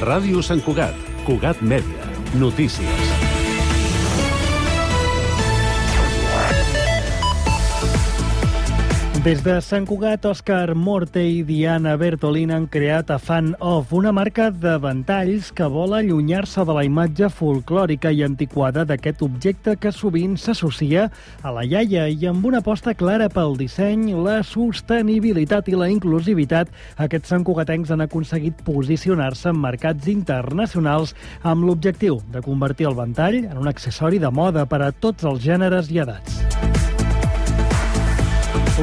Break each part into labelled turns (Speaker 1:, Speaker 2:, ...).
Speaker 1: Ràdio Sant Cugat, Cugat Mèdia, notícies.
Speaker 2: Des de Sant Cugat, Òscar Morte i Diana Bertolín han creat a Fan Of, una marca de ventalls que vol allunyar-se de la imatge folclòrica i antiquada d'aquest objecte que sovint s'associa a la iaia, i amb una aposta clara pel disseny, la sostenibilitat i la inclusivitat, aquests santcugatencs han aconseguit posicionar-se en mercats internacionals amb l'objectiu de convertir el ventall en un accessori de moda per a tots els gèneres i edats.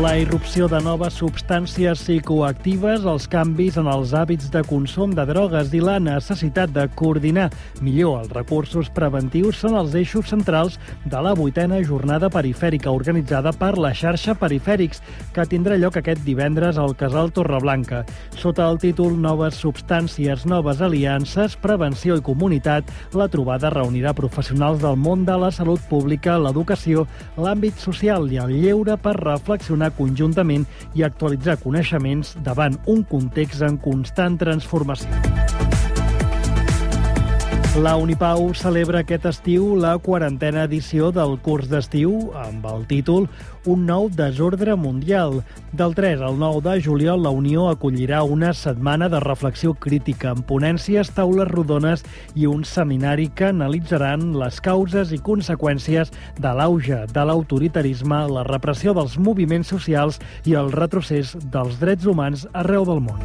Speaker 2: La irrupció de noves substàncies psicoactives, els canvis en els hàbits de consum de drogues i la necessitat de coordinar millor els recursos preventius són els eixos centrals de la 8a jornada perifèrica organitzada per la xarxa Perifèrics, que tindrà lloc aquest divendres al Casal Torreblanca. Sota el títol Noves substàncies, noves aliances, prevenció i comunitat, la trobada reunirà professionals del món de la salut pública, l'educació, l'àmbit social i el lleure per reflexionar conjuntament i actualitzar coneixements davant un context en constant transformació. La Unipau celebra aquest estiu la 40a edició del curs d'estiu amb el títol Un nou desordre mundial. Del 3 al 9 de juliol, la Unió acollirà una setmana de reflexió crítica amb ponències, taules rodones i un seminari que analitzaran les causes i conseqüències de l'auge de l'autoritarisme, la repressió dels moviments socials i el retrocés dels drets humans arreu del món.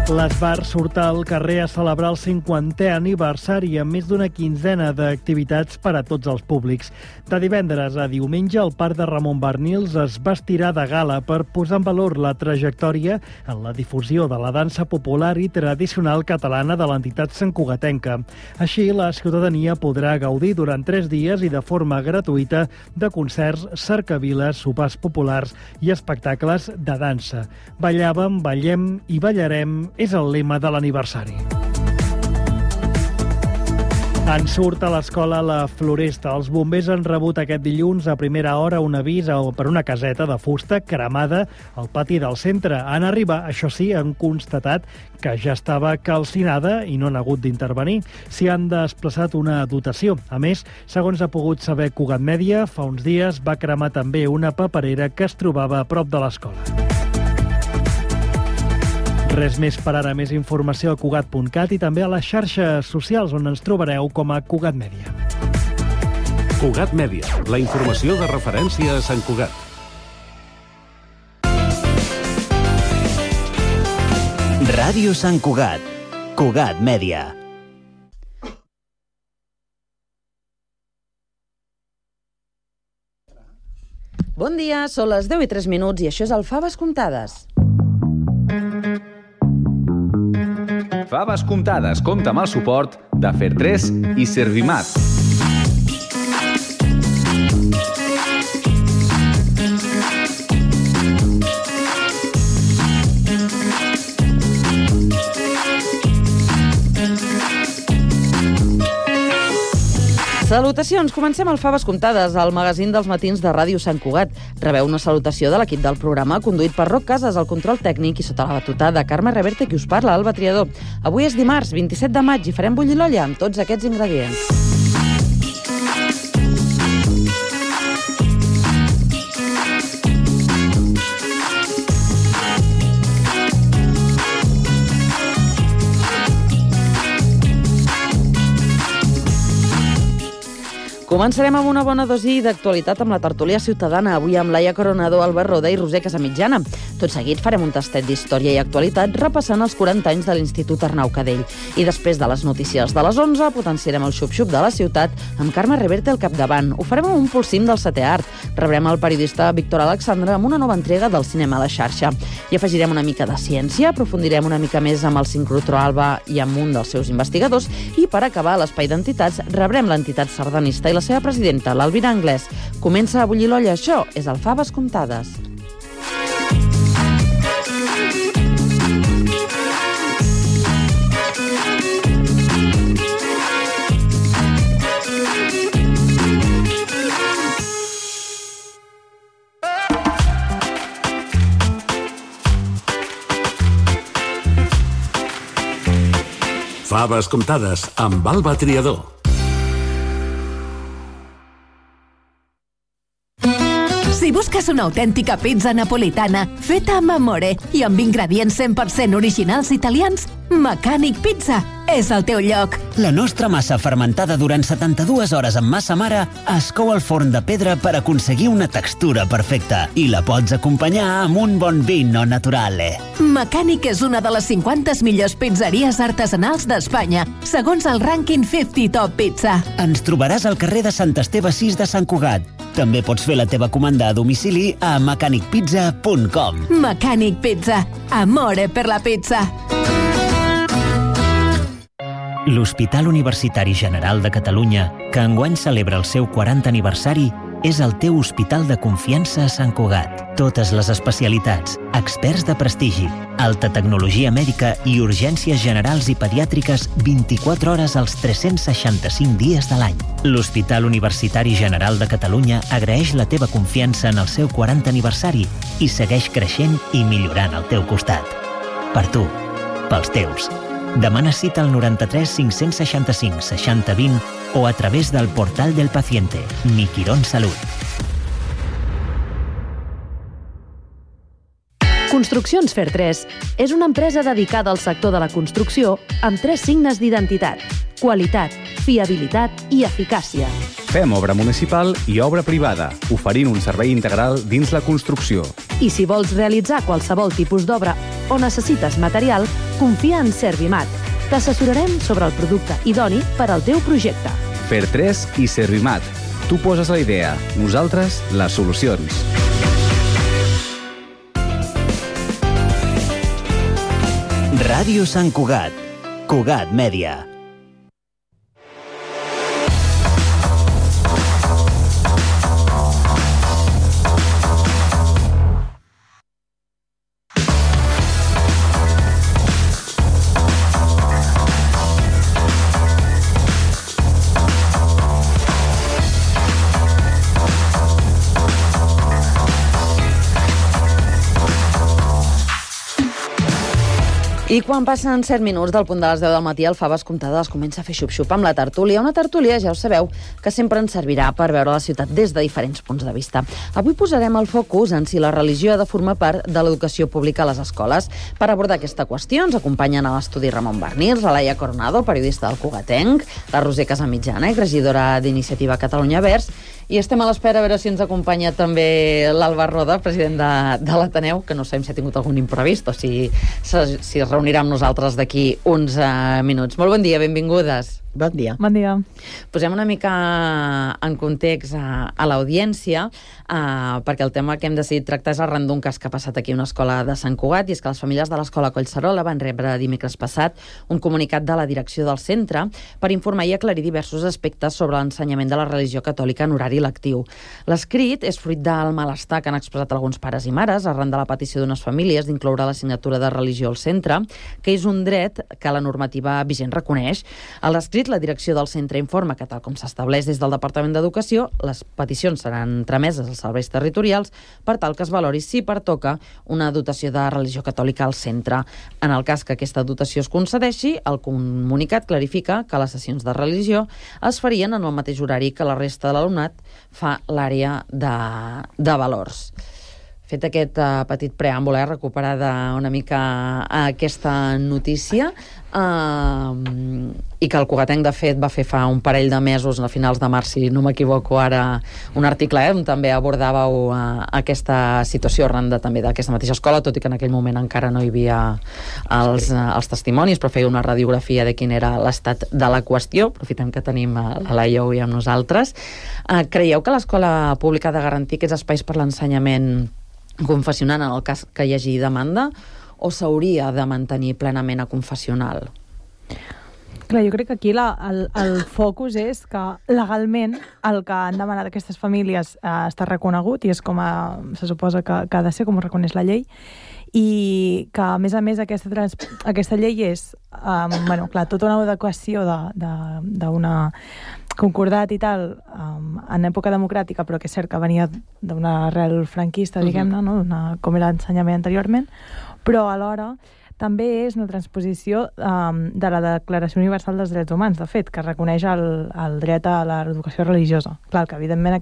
Speaker 2: L'Esbar surt al carrer a celebrar el 50è aniversari amb més d'una quinzena d'activitats per a tots els públics. De divendres a diumenge, el Parc de Ramon Barnils es vestirà de gala per posar en valor la trajectòria en la difusió de la dansa popular i tradicional catalana de l'entitat santcugatenca. Així, la ciutadania podrà gaudir durant 3 dies i de forma gratuïta de concerts, cercaviles, sopars populars i espectacles de dansa. Ballàvem, ballem i ballarem és el lema de l'aniversari. En surt a l'escola La Floresta. Els bombers han rebut aquest dilluns a primera hora un avís per una caseta de fusta cremada al pati del centre. En arribar, això sí, han constatat que ja estava calcinada i no han hagut d'intervenir. S'hi han desplaçat una dotació. A més, segons ha pogut saber Cugat Mèdia, fa uns dies va cremar també una paperera que es trobava a prop de l'escola. Res més per ara, més informació a Cugat.cat i també a les xarxes socials on ens trobareu com a Cugat Mèdia.
Speaker 1: Cugat Mèdia, la informació de referència a Sant Cugat.
Speaker 3: Ràdio Sant Cugat, Cugat Mèdia.
Speaker 4: Bon dia, són les 10:03 i això és el Faves Comptades.
Speaker 5: Faves Comptades compta amb el suport de Fer3 i Servimat.
Speaker 4: Salutacions! Comencem el Faves Comptades, el magazín dels matins de Ràdio Sant Cugat. Rebeu una salutació de l'equip del programa, conduït per Roc Casas, el control tècnic, i sota la batuta de Carme Reverte, qui us parla, Alba Triador. Avui és dimarts, 27 de maig, i farem bullir l'olla amb tots aquests ingredients. Començarem amb una bona dosi d'actualitat amb la tertúlia ciutadana, avui amb Laia Coronado, Albert Roda i Roser Casamitjana. Tot seguit farem un tastet d'història i actualitat repassant els 40 anys de l'Institut Arnau Cadell. I després de les notícies de les 11 potenciarem el xup-xup de la ciutat amb Carme Reverte al capdavant. Ho farem amb un pulsim del setè art. Rebrem el periodista Víctor Alexandre amb una nova entrega del cinema a la xarxa. I afegirem una mica de ciència, aprofundirem una mica més amb el sincrotró Alba i amb un dels seus investigadors i per acabar a l'espai d'entitats rebrem l'entitat sardanista i la seva presidenta, l'Alvira Anglès. Comença a bullir l'olla, això és el Faves Comptades.
Speaker 1: Faves comptades amb Alba Triador.
Speaker 6: Si busques una autèntica pizza napolitana feta amb amore i amb ingredients 100% originals italians, Mecànic Pizza és el teu lloc.
Speaker 3: La nostra massa fermentada durant 72 hores amb massa mare es cou al forn de pedra per aconseguir una textura perfecta i la pots acompanyar amb un bon vino naturale.
Speaker 6: Mecànic és una de les 50 millors pizzeries artesanals d'Espanya, segons el rànquing 50 Top Pizza.
Speaker 3: Ens trobaràs al carrer de Sant Esteve 6 de Sant Cugat. També pots fer la teva comanda a domicili a mecanicpizza.com.
Speaker 6: Mecànic Pizza. Amore per la pizza.
Speaker 3: L'Hospital Universitari General de Catalunya, que enguany celebra el seu 40 aniversari, és el teu hospital de confiança a Sant Cugat. Totes les especialitats, experts de prestigi, alta tecnologia mèdica i urgències generals i pediàtriques 24 hores als 365 dies de l'any. L'Hospital Universitari General de Catalunya agraeix la teva confiança en el seu 40 aniversari i segueix creixent i millorant al teu costat. Per tu, pels teus. Demana cita al 93 565 60 20 o a través del portal del paciente, Mi Quirón Salut.
Speaker 7: Construccions Fer3 és una empresa dedicada al sector de la construcció amb 3 signes d'identitat: qualitat, fiabilitat i eficàcia.
Speaker 5: Fem obra municipal i obra privada, oferint un servei integral dins la construcció.
Speaker 7: I si vols realitzar qualsevol tipus d'obra o necessites material, confia en Servimat. T'assessorarem sobre el producte idoni per al teu projecte.
Speaker 5: Fer3 i Servimat. Tu poses la idea, nosaltres les solucions.
Speaker 3: Ràdio Sant Cugat. Cugat Mèdia.
Speaker 4: I quan passen 7 minuts del punt de les 10 del matí, el Faves Comptades comença a fer xup-xup amb la tertúlia. Una tertúlia, ja ho sabeu, que sempre ens servirà per veure la ciutat des de diferents punts de vista. Avui posarem el focus en si la religió ha de formar part de l'educació pública a les escoles. Per abordar aquesta qüestió ens acompanyen a l'estudi Ramon Barnils, la Laia Coronado, periodista del Cugatenc, la Roser Casamitjana, regidora d'Iniciativa Catalunya Verds, i estem a l'espera a veure si ens acompanya també l'Alba Roda, president de l'Ateneu, que no sabem si ha tingut algun imprevist o si es reunirà amb nosaltres d'aquí uns minuts. Molt bon dia, benvingudes.
Speaker 8: Bon dia.
Speaker 7: Bon dia.
Speaker 4: Posem una mica en context a l'audiència, perquè el tema que hem decidit tractar és arran d'un cas que ha passat aquí a una escola de Sant Cugat, i és que les famílies de l'escola Collserola van rebre dimecres passat un comunicat de la direcció del centre per informar i aclarir diversos aspectes sobre l'ensenyament de la religió catòlica en horari lectiu. L'escrit és fruit del malestar que han expressat alguns pares i mares arran de la petició d'unes famílies d'incloure l'assignatura de religió al centre, que és un dret que la normativa vigent reconeix. A l'escrit, la direcció del centre informa que, tal com s'estableix des del Departament d'Educació, les peticions seran trameses als serveis territorials per tal que es valori si pertoca una dotació de religió catòlica al centre. En el cas que aquesta dotació es concedeixi, el comunicat clarifica que les sessions de religió es farien en el mateix horari que la resta de l'alumnat fa l'àrea de valors. Fet aquest petit preàmbul, recuperada una mica aquesta notícia, i que el Cugatenc, de fet, va fer fa un parell de mesos, a finals de març, si no m'equivoco ara, un article on també abordàveu aquesta situació arran també d'aquesta mateixa escola, tot i que en aquell moment encara no hi havia els testimonis, però feia una radiografia de quin era l'estat de la qüestió. Aprofitem que tenim la Laia avui amb nosaltres. Creieu que l'escola pública ha de garantir aquests espais per l'ensenyament confessional en el cas que hi hagi demanda, o s'hauria de mantenir plenament a confessional?
Speaker 9: Clar, jo crec que aquí el focus és que legalment el que han demanat aquestes famílies està reconegut i és com se suposa que ha de ser, com ho reconeix la llei, i que a més aquesta llei és tota una adequació d'una concordat i tal en època democràtica, però que és cert que venia d'una arrel franquista, diguem-ne, no? Com era l'ensenyament anteriorment, però alhora també és una transposició de la Declaració Universal dels Drets Humans, de fet, que reconeix el dret a l'educació religiosa. Clar, que evidentment la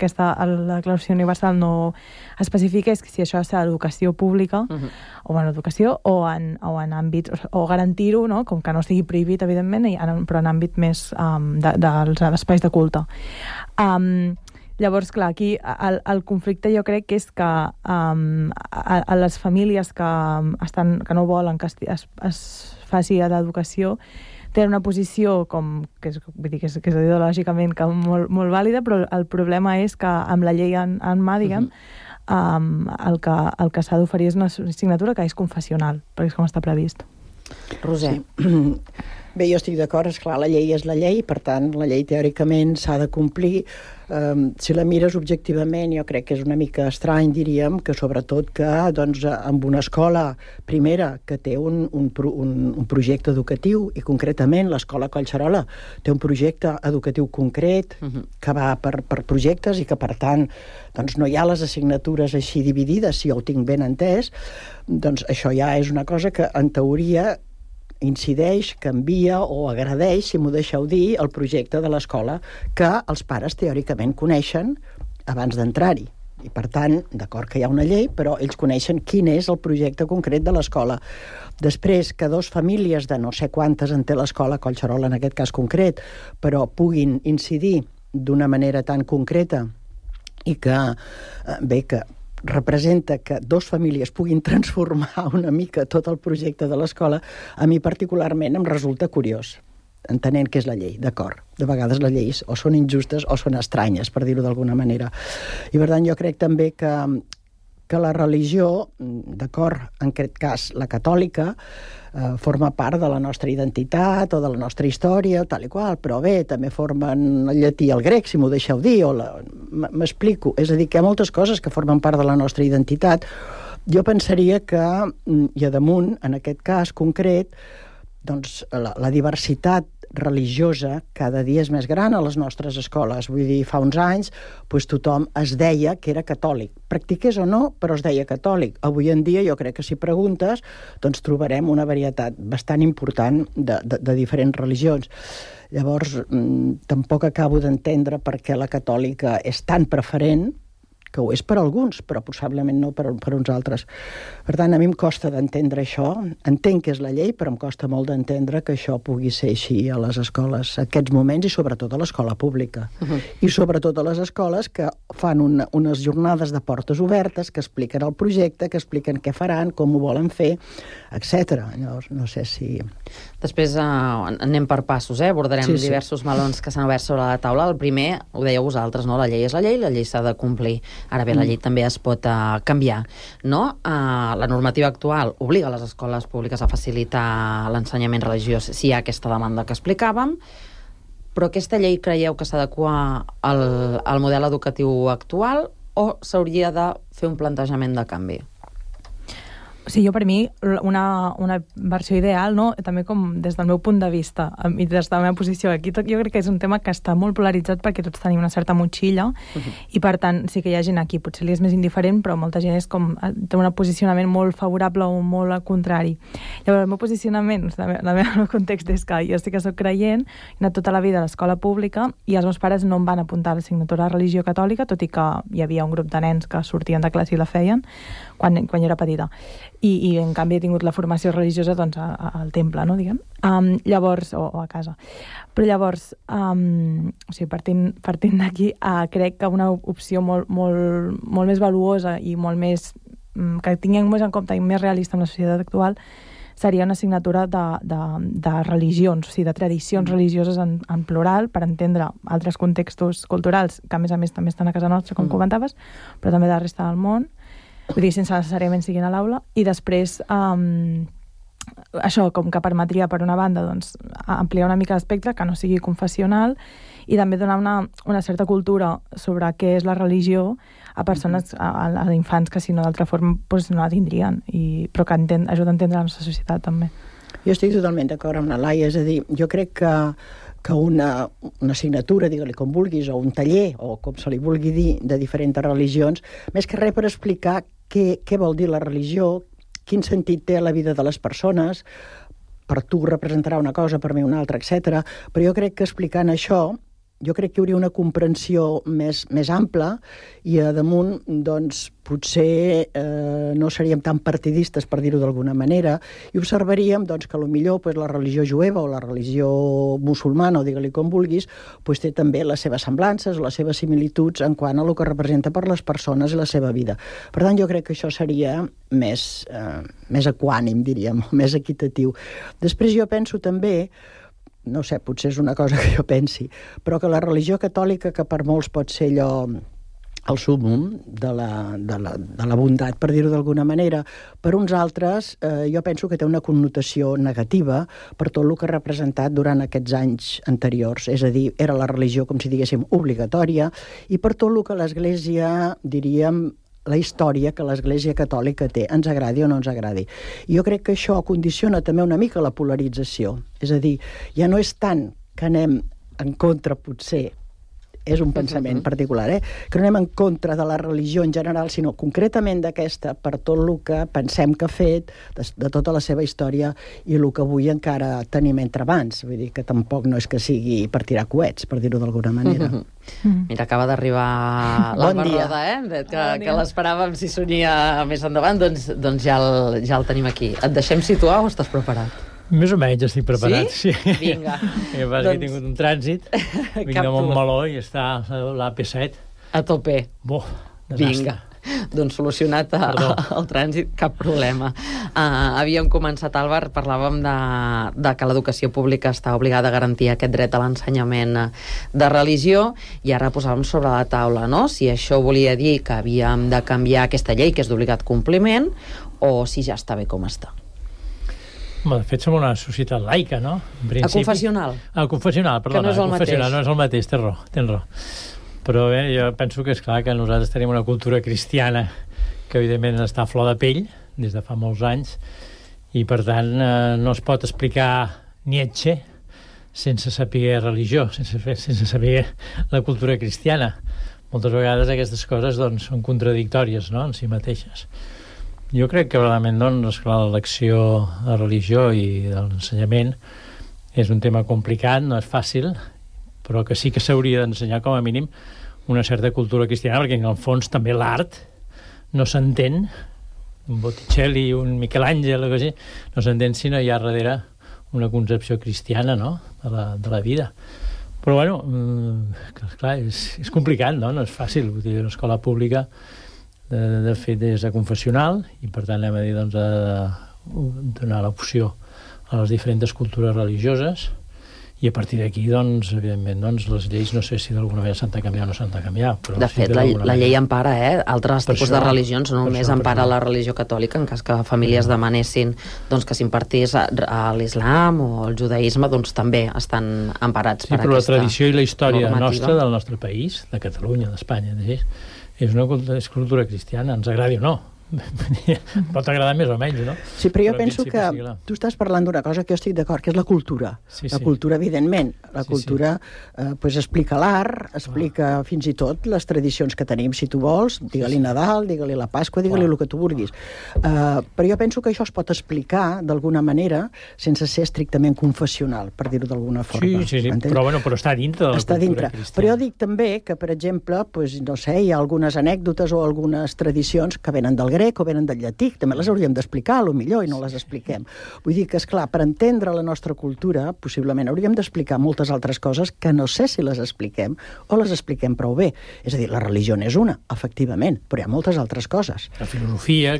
Speaker 9: Declaració Universal no especifica si això és l'educació pública, o en l'educació, o en àmbits, o garantir-ho, no? Com que no estigui prohibit, evidentment, però en àmbit més dels espais de culte. Llavors, clar, aquí el conflicte jo crec que és que a les famílies que no volen que es faci l'educació tenen una posició que és ideològicament molt vàlida, però el problema és que amb la llei en mà, diguem, el que s'ha d'oferir és una assignatura que és confessional, perquè és com està previst.
Speaker 4: Roser.
Speaker 8: Bé, jo estic d'acord, esclar, la llei és la llei, per tant, la llei teòricament s'ha de complir. Si la mires objectivament, jo crec que és una mica estrany, diríem, que sobretot que amb una escola primera que té un projecte educatiu, i concretament l'escola Collserola té un projecte educatiu concret que va per projectes i que, per tant, no hi ha les assignatures així dividides, si jo ho tinc ben entès, doncs això ja és una cosa que, en teoria, incideix, canvia o agradeix, si m'ho deixeu dir, el projecte de l'escola que els pares teòricament coneixen abans d'entrar-hi. I, per tant, d'acord que hi ha una llei, però ells coneixen quin és el projecte concret de l'escola. Després, que dos famílies de no sé quantes en té l'escola Collserola, en aquest cas concret, però puguin incidir d'una manera tan concreta i que, bé, que representa que dos famílies puguin transformar una mica tot el projecte de l'escola, a mi particularment em resulta curiós, entenent que és la llei, d'acord. De vegades les lleis o són injustes o són estranyes, per dir-ho d'alguna manera. I per tant jo crec també que la religió, d'acord, en aquest cas la catòlica, forma part de la nostra identitat o de la nostra història, tal i qual, però bé, també formen el llatí i el grec, si m'ho deixeu dir, m'explico. És a dir, que hi ha moltes coses que formen part de la nostra identitat. Jo pensaria que, i a damunt, en aquest cas concret, doncs la diversitat religiosa cada dia és més gran a les nostres escoles. Vull dir, fa uns anys tothom es deia que era catòlic. Practiqués o no, però es deia catòlic. Avui en dia, jo crec que si preguntes, doncs trobarem una varietat bastant important de diferents religions. Llavors, tampoc acabo d'entendre per què la catòlica és tan preferent, que ho és per alguns, però possiblement no per uns altres. Per tant, a mi em costa d'entendre això. Entenc que és la llei, però em costa molt d'entendre que això pugui ser així a les escoles, a aquests moments, i sobretot a l'escola pública. I sobretot a les escoles que fan unes jornades de portes obertes, que expliquen el projecte, que expliquen què faran, com ho volen fer, etc. Llavors, no sé si...
Speaker 4: Després anem per passos, abordarem diversos melons que s'han obert sobre la taula. El primer, ho dèieu vosaltres, no? La llei és la llei s'ha de complir. Ara bé, la llei també es pot canviar, no? La normativa actual obliga les escoles públiques a facilitar l'ensenyament religiós si hi ha aquesta demanda que explicàvem, però aquesta llei creieu que s'adequa al model educatiu actual o s'hauria de fer un plantejament de canvi?
Speaker 9: Sí, jo per mi una versió ideal, no? També com des del meu punt de vista i des de la meva posició aquí, jo crec que és un tema que està molt polaritzat perquè tots tenim una certa motxilla i per tant sí que hi ha gent aquí, potser li és més indiferent, però molta gent és com té un posicionament molt favorable o molt al contrari. Llavors el meu posicionament, el meu context és que jo sí que soc creient, he anat tota la vida a l'escola pública i els meus pares no em van apuntar a l'assignatura de religió catòlica, tot i que hi havia un grup de nens que sortien de classe i la feien quan jo era petita. I en canvi he tingut la formació religiosa doncs, al temple, no, diguem. Llavors, o a casa. Però llavors, o sigui, partint d'aquí, crec que una opció molt més valuosa i molt més que tinguem més en compte i més realista en la societat actual seria una assignatura de religions, o sigui, de tradicions religioses en plural, per entendre altres contextos culturals que, a més també estan a casa nostra, com comentaves, però també de la resta del món, vull dir, sense necessàriament siguin a l'aula, i després això com que permetria, per una banda, doncs, ampliar una mica l'espectre, que no sigui confessional, i també donar una certa cultura sobre què és la religió a persones, a infants que si no d'altra forma doncs, no la tindrien, però que ajuda a entendre la nostra societat també.
Speaker 8: Jo estic totalment d'acord amb la Laia, és a dir, jo crec que una assignatura, digue-li com vulguis, o un taller, o com se li vulgui dir, de diferents religions, més que res per explicar què vol dir la religió, quin sentit té la vida de les persones, per tu representarà una cosa, per mi una altra, etc. Però jo crec que explicant això, jo crec que hi hauria una comprensió més ampla i a damunt, doncs, potser no seríem tan partidistes, per dir-ho d'alguna manera, i observaríem doncs, que potser la religió jueva o la religió musulmana, o digue-li com vulguis, doncs, té també les seves semblances o les seves similituds en quant a el que representa per les persones i la seva vida. Per tant, jo crec que això seria més equànim, diríem, més equitatiu. Després jo penso també, no sé, potser és una cosa que jo pensi, però que la religió catòlica, que per molts pot ser allò el súmmum de la bondat, per dir-ho d'alguna manera, per uns altres jo penso que té una connotació negativa per tot el que ha representat durant aquests anys anteriors. És a dir, era la religió, com si diguéssim, obligatòria, i per tot el que l'Església, diríem, la història que l'Església Catòlica té, ens agradi o no ens agradi. I jo crec que això condiciona també una mica la polarització. És a dir, ja no és tant que anem en contra, potser, és un pensament particular, que no anem en contra de la religió en general, sinó concretament d'aquesta, per tot el que pensem que ha fet, de tota la seva història, i el que avui encara tenim entre mans. Vull dir que tampoc no és que sigui per tirar coets, per dir-ho d'alguna manera.
Speaker 4: Mira, acaba d'arribar l'Alba Roda, que l'esperàvem si sonia més endavant, doncs ja el tenim aquí. Et deixem situar o estàs preparat?
Speaker 10: Més o menys estic preparat, sí.
Speaker 4: Vinga.
Speaker 10: He tingut un trànsit, vinc de Montmeló i està l'AP7.
Speaker 4: A tope.
Speaker 10: Desastre.
Speaker 4: Vinga. Doncs solucionat el trànsit, cap problema. Havíem començat, Àlvar, parlàvem de que l'educació pública està obligada a garantir aquest dret a l'ensenyament de religió, i ara posàvem sobre la taula, no?, si això volia dir que havíem de canviar aquesta llei, que és d'obligat compliment, o si ja està bé com està.
Speaker 10: De fet, som una societat laica, no?
Speaker 4: A confessional.
Speaker 10: A confessional, perdona.
Speaker 4: Que no és el mateix.
Speaker 10: No és el mateix, tens raó. Però bé, jo penso que és clar que nosaltres tenim una cultura cristiana que evidentment està a flor de pell des de fa molts anys, i per tant no es pot explicar Nietzsche sense saber religió, sense saber la cultura cristiana. Moltes vegades aquestes coses doncs, són contradictòries, no?, en si mateixes. Jo crec que realment l'elecció de religió i de l'ensenyament és un tema complicat, no és fàcil, però que sí que s'hauria d'ensenyar com a mínim una certa cultura cristiana, perquè en el fons també l'art no s'entén, un Botticelli, un Michelangelo, no s'entén si no hi ha darrere una concepció cristiana, no?, de la vida. Però bueno, clar, és complicat, no?, no és fàcil. Vull dir, l'escola pública de fet és confessional, i per tant anem a dir doncs, donar l'opció a les diferents cultures religioses, i a partir d'aquí doncs, evidentment doncs, les lleis no sé si d'alguna manera s'han de canviar o no s'han de canviar, però
Speaker 4: de fet la llei empara altres tipus de religions, no només empara la religió catòlica, en cas que famílies demanessin doncs, que s'impartís a l'islam o el judaïsme, doncs també estan emparats per aquesta normativa. Sí, però la tradició
Speaker 10: i la història nostra, del nostre país, de Catalunya, d'Espanya, és una cultura cristiana, ens agradi o no. Pot agradar més o menys, no?
Speaker 8: Sí, però jo penso que tu estàs parlant d'una cosa que jo estic d'acord, que és la cultura. La cultura, evidentment. La cultura explica l'art, explica fins i tot les tradicions que tenim, si tu vols, digue-li Nadal, digue-li la Pasqua, digue-li el que tu vulguis. Però jo penso que això es pot explicar d'alguna manera sense ser estrictament confessional, per dir-ho d'alguna forma.
Speaker 10: Sí, però està dintre de la cultura cristiana.
Speaker 8: Però jo dic també que, per exemple, no sé, hi ha algunes anècdotes o algunes tradicions que venen del grec o venen del llatí, també les hauríem d'explicar, millor, i no les expliquem. Vull dir que, esclar, per entendre la nostra cultura, possiblement hauríem d'explicar moltes altres coses que no sé si les expliquem o les expliquem prou bé. És a dir, la religió n'és una, efectivament, però hi ha moltes altres coses.
Speaker 10: La filosofia,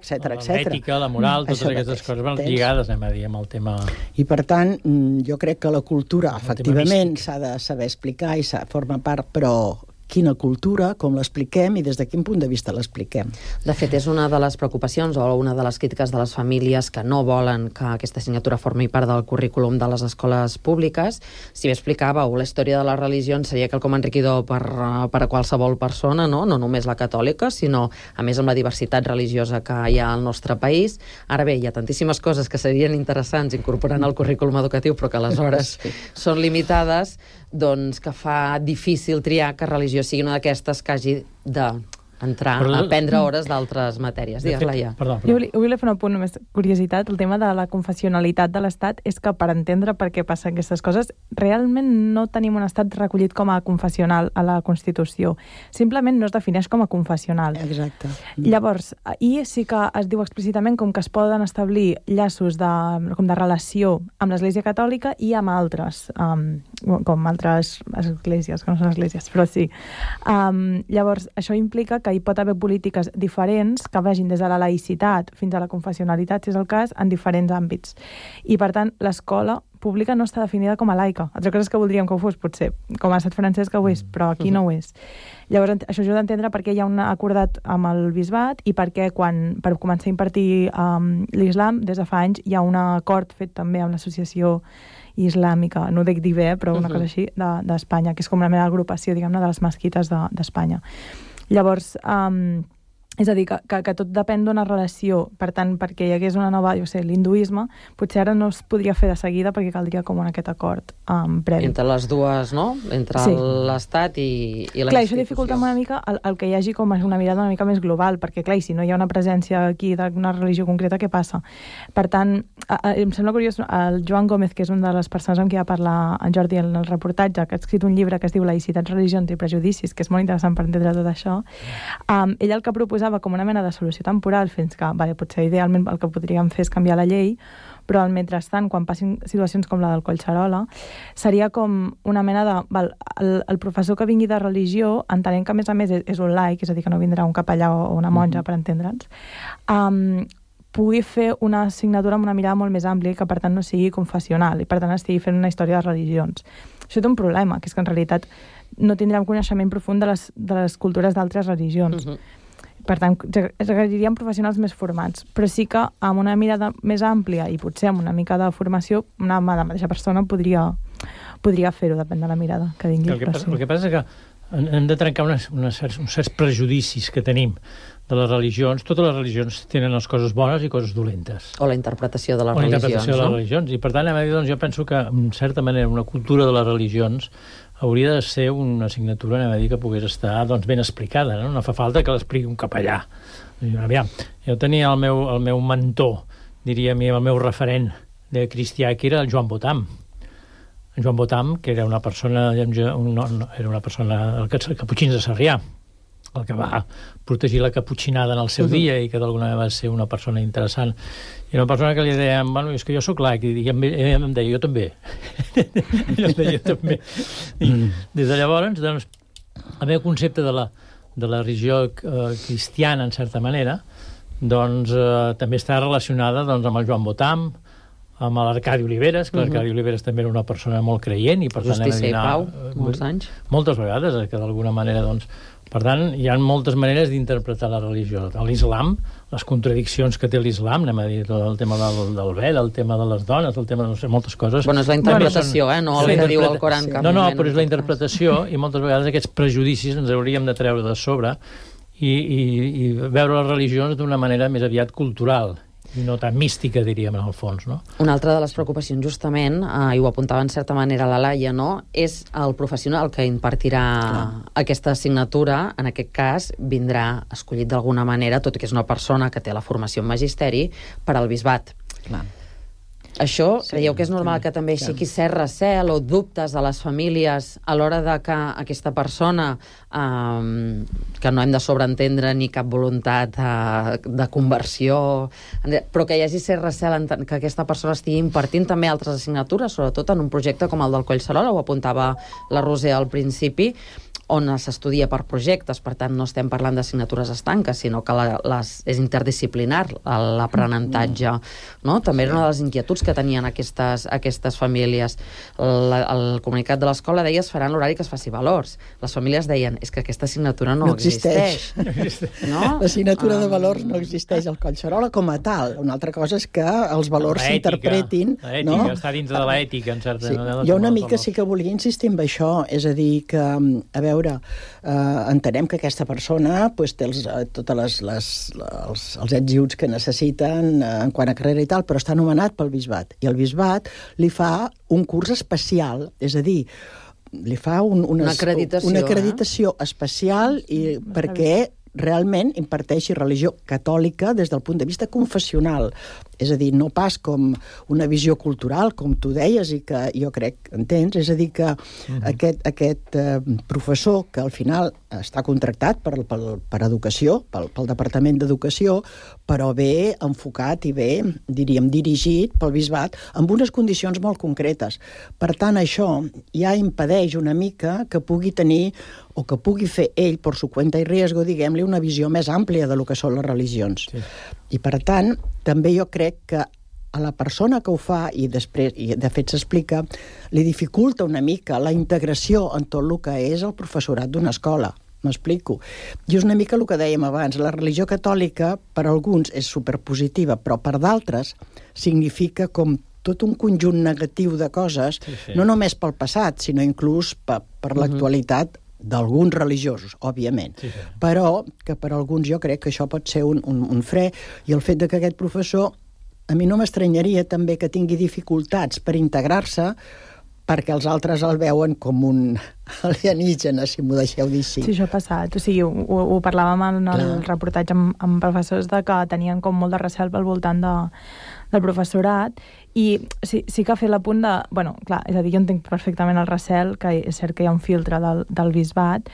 Speaker 8: etc.
Speaker 10: L'ètica, la moral, totes aquestes coses van lligades, anem a dir, amb el tema...
Speaker 8: I, per tant, jo crec que la cultura, efectivament, s'ha de saber explicar i forma part, però quina cultura, com l'expliquem i des de quin punt de vista l'expliquem.
Speaker 4: De fet, és una de les preocupacions o una de les crítiques de les famílies que no volen que aquesta assignatura formi part del currículum de les escoles públiques. Si bé explicàveu, la història de les religions seria quelcom enriquidor per a qualsevol persona, no només la catòlica, sinó, a més, amb la diversitat religiosa que hi ha al nostre país. Ara bé, hi ha tantíssimes coses que serien interessants incorporant al currículum educatiu, però que aleshores són limitades, doncs que fa difícil triar que religió sigui una d'aquestes que hagi de entrar a prendre hores d'altres matèries. Digues, Laia.
Speaker 9: Jo volia fer un apunt, només curiositat. El tema de la confessionalitat de l'Estat és que per entendre per què passen aquestes coses, realment no tenim un estat recollit com a confessional a la Constitució. Simplement no es defineix com a confessional.
Speaker 8: Exacte.
Speaker 9: Llavors, i sí que es diu explícitament com que es poden establir llaços de relació amb l'Església Catòlica i amb altres, com altres esglésies, que no són esglésies, però sí. Llavors, això implica que hi pot haver polítiques diferents que vagin des de la laïcitat fins a la confessionalitat, si és el cas, en diferents àmbits. I, per tant, l'escola pública no està definida com a laica. Altra cosa és que voldríem que ho fos, potser, com a estat francès que ho és, però aquí no ho és. Llavors, això ajuda a entendre per què hi ha un acordat amb el bisbat i per què per començar a impartir l'islam, des de fa anys, hi ha un acord fet també amb l'associació islàmica, no ho dic dir bé, però una cosa així, d'Espanya, que és com una mena d'agrupació, diguem-ne, de les mesquites d'Espanya. Llavors, és a dir, que tot depèn d'una relació. Per tant, perquè hi hagués una nova, l'hinduisme, potser ara no es podria fer de seguida perquè caldria com aquest acord previ.
Speaker 4: Entre les dues, no? Entre l'Estat i la institució.
Speaker 9: Clar, això dificulta una mica el que hi hagi com una mirada una mica més global, perquè, clar, si no hi ha una presència aquí d'una religió concreta, què passa? Per tant, em sembla curiós, el Joan Gómez, que és una de les persones amb qui va parlar en Jordi en el reportatge, que ha escrit un llibre que es diu Laïcitats, religions i prejudicis, que és molt interessant per entendre tot això, ell el que proposava com una mena de solució temporal fins que, potser idealment el que podríem fer és canviar la llei, però al mentrestant, quan passin situacions com la del Collserola, seria com una mena de... El professor que vingui de religió, entenent que a més és un laic, és a dir, que no vindrà un capellà o una monja, per entendre'ns, pugui fer una assignatura amb una mirada molt més àmplia i que, per tant, no sigui confessional i, per tant, estigui fent una història de religions. Això té un problema, que és que, en realitat, no tindrem coneixement profund de les cultures d'altres religions. Per tant, es requeriríem professionals més formats, però sí que amb una mirada més àmplia i potser amb una mica de formació, la mateixa persona podria fer-ho, depèn de la mirada que tingui.
Speaker 10: El que passa és que hem de trencar uns certs prejudicis que tenim de les religions. Totes les religions tenen les coses bones i coses dolentes.
Speaker 4: O la interpretació de les religions,
Speaker 10: I, per tant, jo penso que, en certa manera, una cultura de les religions hauria de ser una assignatura, que pogués estar ben explicada, no? No fa falta que l'expliqui un capellà. Aviam, jo tenia el meu mentor, diríem, el meu referent de cristià, que era el Joan Botam. En Joan Botam, que era una persona, el caputxins de Sarrià, el que va protegir la caputxinada en el seu dia i que d'alguna manera va ser una persona interessant. I una persona que li deia, és que jo sóc laic, i ell em deia, jo també. I des de llavors, doncs, el meu concepte de la religió cristiana, en certa manera, doncs també està relacionada amb el Joan Botam, amb l'Arcadi Oliveres, que l'Arcadi Oliveres també era una persona molt creient i, per tant,
Speaker 4: Justícia i Pau, molts anys.
Speaker 10: Moltes vegades, que d'alguna manera, doncs, per tant, hi ha moltes maneres d'interpretar la religió. L'islam, les contradiccions que té l'islam, anem a dir, el tema del vel, el tema de les dones, el tema de moltes coses...
Speaker 4: Bueno, és la interpretació, no el que diu el Coran.
Speaker 10: No, però és la interpretació, i moltes vegades aquests prejudicis ens hauríem de treure de sobre i veure les religions d'una manera més aviat cultural i no tan mística, diríem, en el fons, no?
Speaker 4: Una altra de les preocupacions, justament, i ho apuntava en certa manera la Laia, no?, és el professional que impartirà aquesta assignatura. En aquest cas, vindrà escollit d'alguna manera, tot i que és una persona que té la formació en magisteri, per al bisbat. Clar. Això, creieu que és normal que també aixequi cert recel o dubtes de les famílies a l'hora de que aquesta persona, que no hem de sobreentendre ni cap voluntat de conversió, però que hi hagi cert recel que aquesta persona estigui impartint també altres assignatures, sobretot en un projecte com el del Collserola, ho apuntava la Roser al principi, on s'estudia per projectes, per tant no estem parlant d'assignatures estanques, sinó que és interdisciplinar l'aprenentatge, no? També era una de les inquietuds que tenien aquestes famílies. El comunicat de l'escola deia es farà en l'horari que es faci valors. Les famílies deien, és que aquesta assignatura no existeix. No?
Speaker 8: L'assignatura de valors no existeix al Collserola com a tal. Una altra cosa és que els valors s'interpretin.
Speaker 10: L'ètica, està dins de l'ètica, en certa manera.
Speaker 8: Jo una mica sí que volia insistir en això, és a dir, que, a veure, entenem que aquesta persona té tots els ets i uts que necessiten en quant a carrera i tal, però està nomenat pel bisbat. I el bisbat li fa un curs especial, és a dir, li fa una acreditació especial perquè realment imparteixi religió catòlica des del punt de vista confessional. És a dir, no pas com una visió cultural, com tu deies, i que jo crec, entens? És a dir, que aquest professor, que al final està contractat per educació, pel Departament d'Educació, però ve enfocat i ve, diríem, dirigit pel bisbat amb unes condicions molt concretes. Per tant, això ja impedeix una mica que pugui tenir o que pugui fer ell, per su cuenta i riesgo, diguem-li, una visió més àmplia de lo que són les religions. Sí. I, per tant, també jo crec que a la persona que ho fa, i després, i de fet s'explica, li dificulta una mica la integració en tot el que és el professorat d'una escola. M'explico. I és una mica el que dèiem abans. La religió catòlica, per alguns, és superpositiva, però per d'altres significa com tot un conjunt negatiu de coses, no només pel passat, sinó inclús per l'actualitat d'alguns religiosos, òbviament. Però que per alguns jo crec que això pot ser un fre, i el fet de que aquest professor, a mi no m'estranyaria també que tingui dificultats per integrar-se, perquè els altres el veuen com un alienígena, si m'ho deixeu dir així.
Speaker 9: Sí, això ha passat. O sigui, ho parlàvem en el reportatge amb professors de que tenien com molt de recel al voltant del professorat, i sí que ha fet l'apunt de... Bueno, clar, és a dir, jo entenc perfectament el recel, que és cert que hi ha un filtre del bisbat,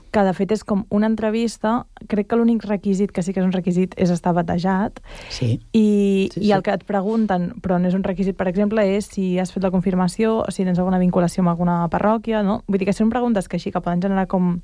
Speaker 9: que de fet és com una entrevista. Crec que l'únic requisit, que sí que és un requisit, és estar batejat.
Speaker 8: Sí.
Speaker 9: I el que et pregunten, però no és un requisit, per exemple, és si has fet la confirmació, o si tens alguna vinculació amb alguna parròquia, no? Vull dir que són preguntes que així que poden generar com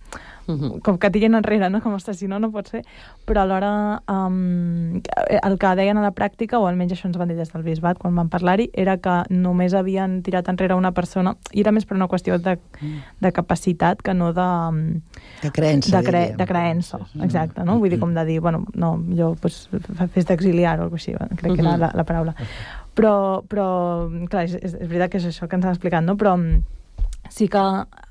Speaker 9: que tiren enrere, no? Com, ostres, si no pot ser. Però alhora el que deien a la pràctica, o almenys això ens van dir des del bisbat quan van parlar-hi, era que només havien tirat enrere una persona, i era més per una qüestió de capacitat que no
Speaker 8: de creença,
Speaker 9: de creença, exacte, no? Vull dir, com de dir, bueno, no, millor pues, fes d'exiliar o alguna cosa així, crec que era la paraula. Però clar, és veritat que és això que ens han explicat, no? Però sí que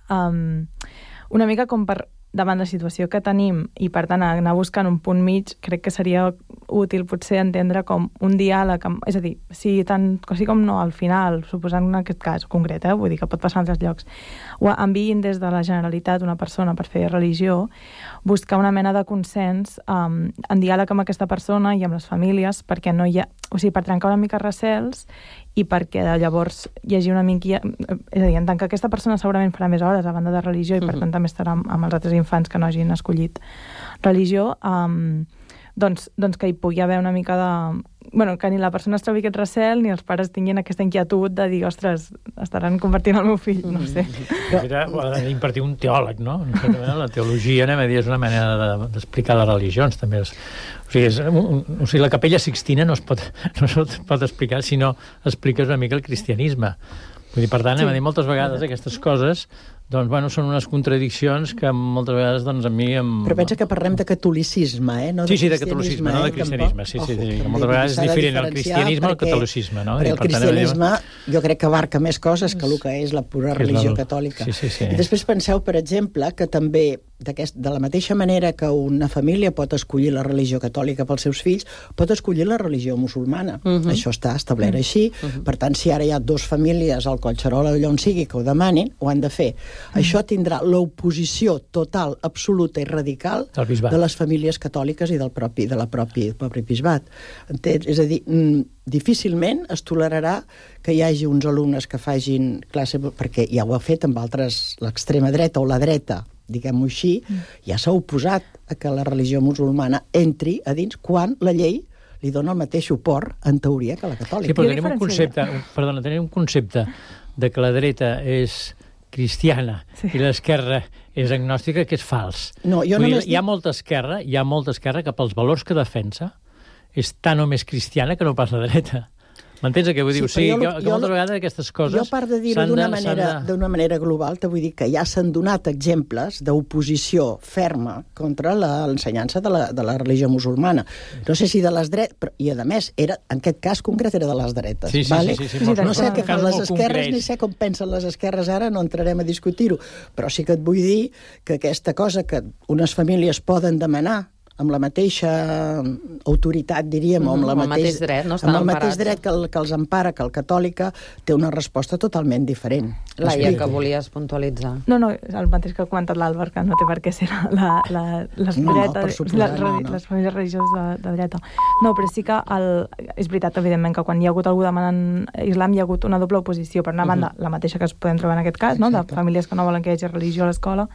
Speaker 9: una mica com per davant la situació que tenim, i per tant anar buscant un punt mig, crec que seria útil potser entendre com un diàleg, és a dir, sí com no, al final, suposant en aquest cas concret, vull dir que pot passar en altres llocs, o enviïn des de la Generalitat una persona per fer religió, buscar una mena de consens en diàleg amb aquesta persona i amb les famílies, perquè no hi ha... O sigui, per trencar una mica recels i perquè llavors hi hagi una mica... És a dir, en tant que aquesta persona segurament farà més hores a banda de religió i per tant també estarà amb els altres infants que no hagin escollit religió, doncs que hi pugui haver una mica de... Bueno, que ni la persona es trobi aquest recel ni els pares tinguin aquesta inquietud de dir, ostres, estaran convertint el meu fill, no sé.
Speaker 10: Era impartir un teòleg, no? La teologia, anem a dir, és una manera d'explicar les religions, també. O sigui, la capella Sixtina no es pot explicar si no expliques una mica el cristianisme. Vull dir, per tant, anem a dir, moltes vegades aquestes coses doncs, bueno, són unes contradiccions que moltes vegades, doncs, a mi...
Speaker 8: Però pensa que parlem de catolicisme, no de
Speaker 10: cristianisme. Sí, de catolicisme, no de cristianisme. Sí, moltes vegades és diferent el cristianisme al catolicisme, no?
Speaker 8: Perquè el cristianisme jo crec que abarca més coses que el que és la pura religió catòlica. I després penseu, per exemple, que també de la mateixa manera que una família pot escollir la religió catòlica pels seus fills, pot escollir la religió musulmana. Això està establert així. Per tant, si ara hi ha dues famílies al Collserola o allà on sigui que ho demanin, ho han de fer. Això tindrà l'oposició total, absoluta i radical de les famílies catòliques i del propi bisbat. Entens? És a dir, difícilment es tolerarà que hi hagi uns alumnes que facin classe, perquè ja ho ha fet amb altres, l'extrema dreta o la dreta, diguem-ho així, ja s'ha oposat a que la religió musulmana entri a dins quan la llei li dona el mateix suport, en teoria, que la catòlica.
Speaker 10: Sí, però tenim un concepte de que la dreta és cristiana i l'esquerra és agnòstica, que és fals. Hi ha molta esquerra que pels valors que defensa és tan o més cristiana que no pas la dreta. M'entens el que vull dir? O sigui, que moltes vegades aquestes coses...
Speaker 8: Jo, a part de dir-ho d'una manera global, te vull dir que ja s'han donat exemples d'oposició ferma contra l'ensenyança de la religió musulmana. No sé si de les dretes, i a més, en aquest cas concret era de les dretes.
Speaker 10: Sí.
Speaker 8: No sé què fan les esquerres, ni sé com pensen les esquerres ara, no entrarem a discutir-ho, però sí que et vull dir que aquesta cosa que unes famílies poden demanar amb la mateixa autoritat, diríem, o amb el mateix
Speaker 4: dret, no?
Speaker 8: Amb el mateix dret que els empara, que el catòlica, té una resposta totalment diferent.
Speaker 4: Laia, que volies puntualitzar.
Speaker 9: No, el mateix que ha comentat l'Àlvar, que no té per què ser les famílies religioses de dreta. No, però sí que és veritat, evidentment, que quan hi ha hagut algú demanant islam hi ha hagut una doble oposició. Per una banda, la mateixa que es podem trobar en aquest cas, no? De famílies que no volen que hi hagi religió a l'escola,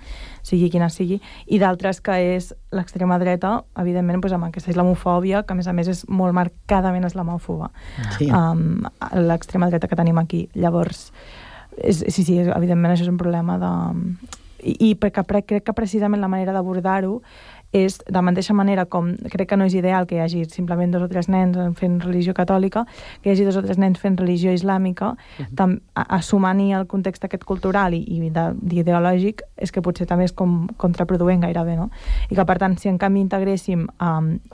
Speaker 9: sigui quina sigui, i d'altres que és l'extrema dreta, evidentment, amb aquesta islamofòbia, que a més és molt marcadament islamòfoba. Sí. L'extrema dreta que tenim aquí. Llavors, sí, evidentment això és un problema I perquè crec que precisament la manera d'abordar-ho és, de la mateixa manera com crec que no és ideal que hi hagi simplement 2 o 3 nens fent religió catòlica, que hi hagi 2 o 3 nens fent religió islàmica, assumant-hi el context aquest cultural i ideològic, és que potser també és com contraproduent gairebé, no? I que, per tant, si en canvi integréssim,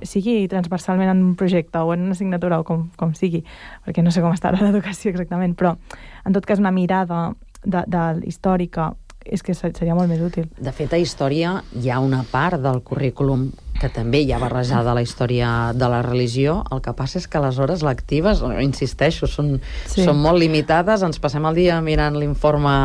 Speaker 9: sigui transversalment en un projecte o en una assignatura o com sigui, perquè no sé com està l'educació exactament, però en tot cas una mirada històrica és que seria molt més útil.
Speaker 4: De fet, a història hi ha una part del currículum que també hi ha barrejada la història de la religió. El que passa és que les hores lectives, insisteixo, són molt limitades. Ens passem el dia mirant l'informe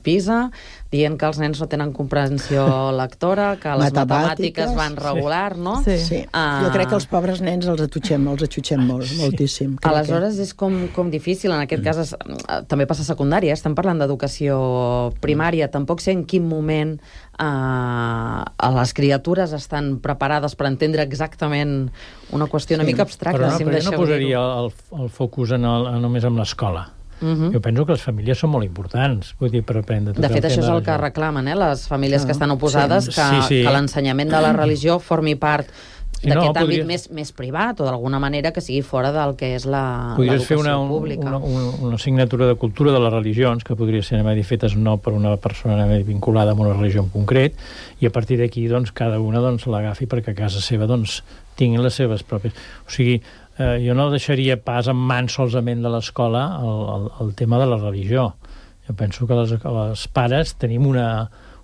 Speaker 4: PISA, dient que els nens no tenen comprensió lectora, que les matemàtiques van regular, no?
Speaker 8: Sí. Jo crec que els pobres nens els atutxem moltíssim.
Speaker 4: Aleshores és com difícil. En aquest cas també passa a secundària. Estem parlant d'educació primària. Tampoc sé en quin moment les criatures estan preparades per entendre exactament una qüestió una mica abstracta.
Speaker 10: Però jo no posaria el focus només en l'escola. Jo penso que les famílies són molt importants, vull dir, per aprendre tot.
Speaker 4: De fet, això és el que reclamen, les famílies que estan oposades, que l'ensenyament de la religió formi part d'aquest àmbit més privat, o d'alguna manera que sigui fora del que és l'educació pública.
Speaker 10: Podries fer una assignatura de cultura de les religions, que podria ser fetes no per una persona vinculada amb una religió en concret, i a partir d'aquí cada una l'agafi perquè a casa seva tinguin les seves pròpies. O sigui, jo no deixaria pas en mans solament de l'escola el tema de la religió. Jo penso que els pares tenim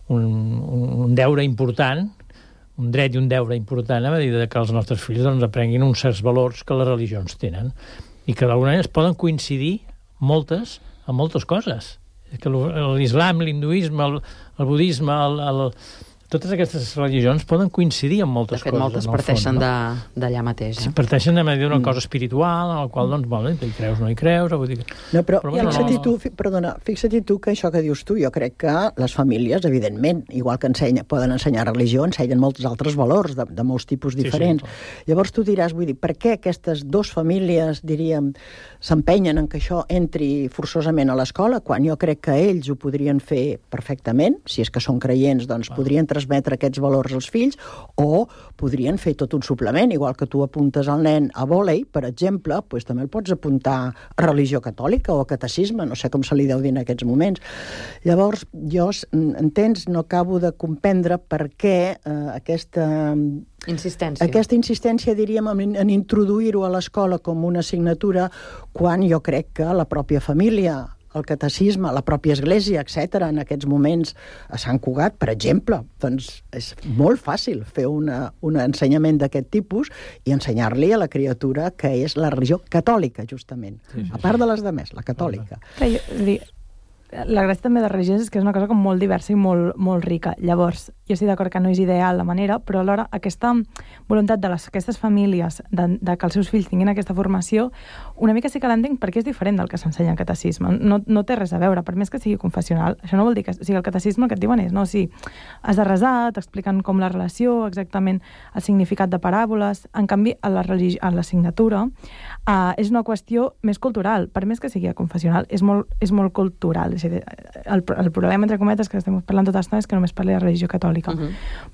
Speaker 10: un deure important, un dret i un deure important a dir que els nostres fills aprenguin uns certs valors que les religions tenen i que d'alguna manera es poden coincidir en moltes coses. L'islam, l'hinduisme, el budisme, totes aquestes religions poden coincidir en moltes coses.
Speaker 4: De fet, moltes parteixen d'allà mateix.
Speaker 10: Parteixen d'una cosa espiritual, en la qual, hi creus o no hi creus.
Speaker 8: No, però fixa-t'hi tu que això que dius tu, jo crec que les famílies, evidentment, igual que poden ensenyar religió, ensenyen molts altres valors de molts tipus diferents. Llavors tu diràs, per què aquestes 2 famílies, diríem, s'empenyen en que això entri forçosament a l'escola, quan jo crec que ells ho podrien fer perfectament, si és que són creients, podrien transmetre aquests valors als fills, o podrien fer tot un suplement, igual que tu apuntes el nen a vòlei, per exemple, també el pots apuntar a religió catòlica o a catecisme, no sé com se li deu dir en aquests moments. Llavors, jo, entens, no acabo de comprendre per què aquesta insistència, diríem, en introduir-ho a l'escola com una assignatura, quan jo crec que la pròpia família, el catecisme, la pròpia església, etc., en aquests moments a Sant Cugat, per exemple, és molt fàcil fer un ensenyament d'aquest tipus i ensenyar-li a la criatura que és la religió catòlica, justament. A part de les demés, la catòlica.
Speaker 9: La gràcia també de religions és que és una cosa com molt diversa i molt rica. Llavors, jo estic d'acord que no és ideal la manera, però alhora aquesta voluntat d'aquestes famílies de que els seus fills tinguin aquesta formació, una mica sí que l'entenc perquè és diferent del que s'ensenya en catecisme. No té res a veure, per més que sigui confessional. Això no vol dir que el catecisme el que et diuen és, has de resar, t'expliquen com la relació, exactament el significat de paràboles. En canvi, a l'assignatura és una qüestió més cultural. Per més que sigui confessional, és molt cultural. El problema, entre cometes, que estem parlant tota l'estona és que només parli de religió catòlica.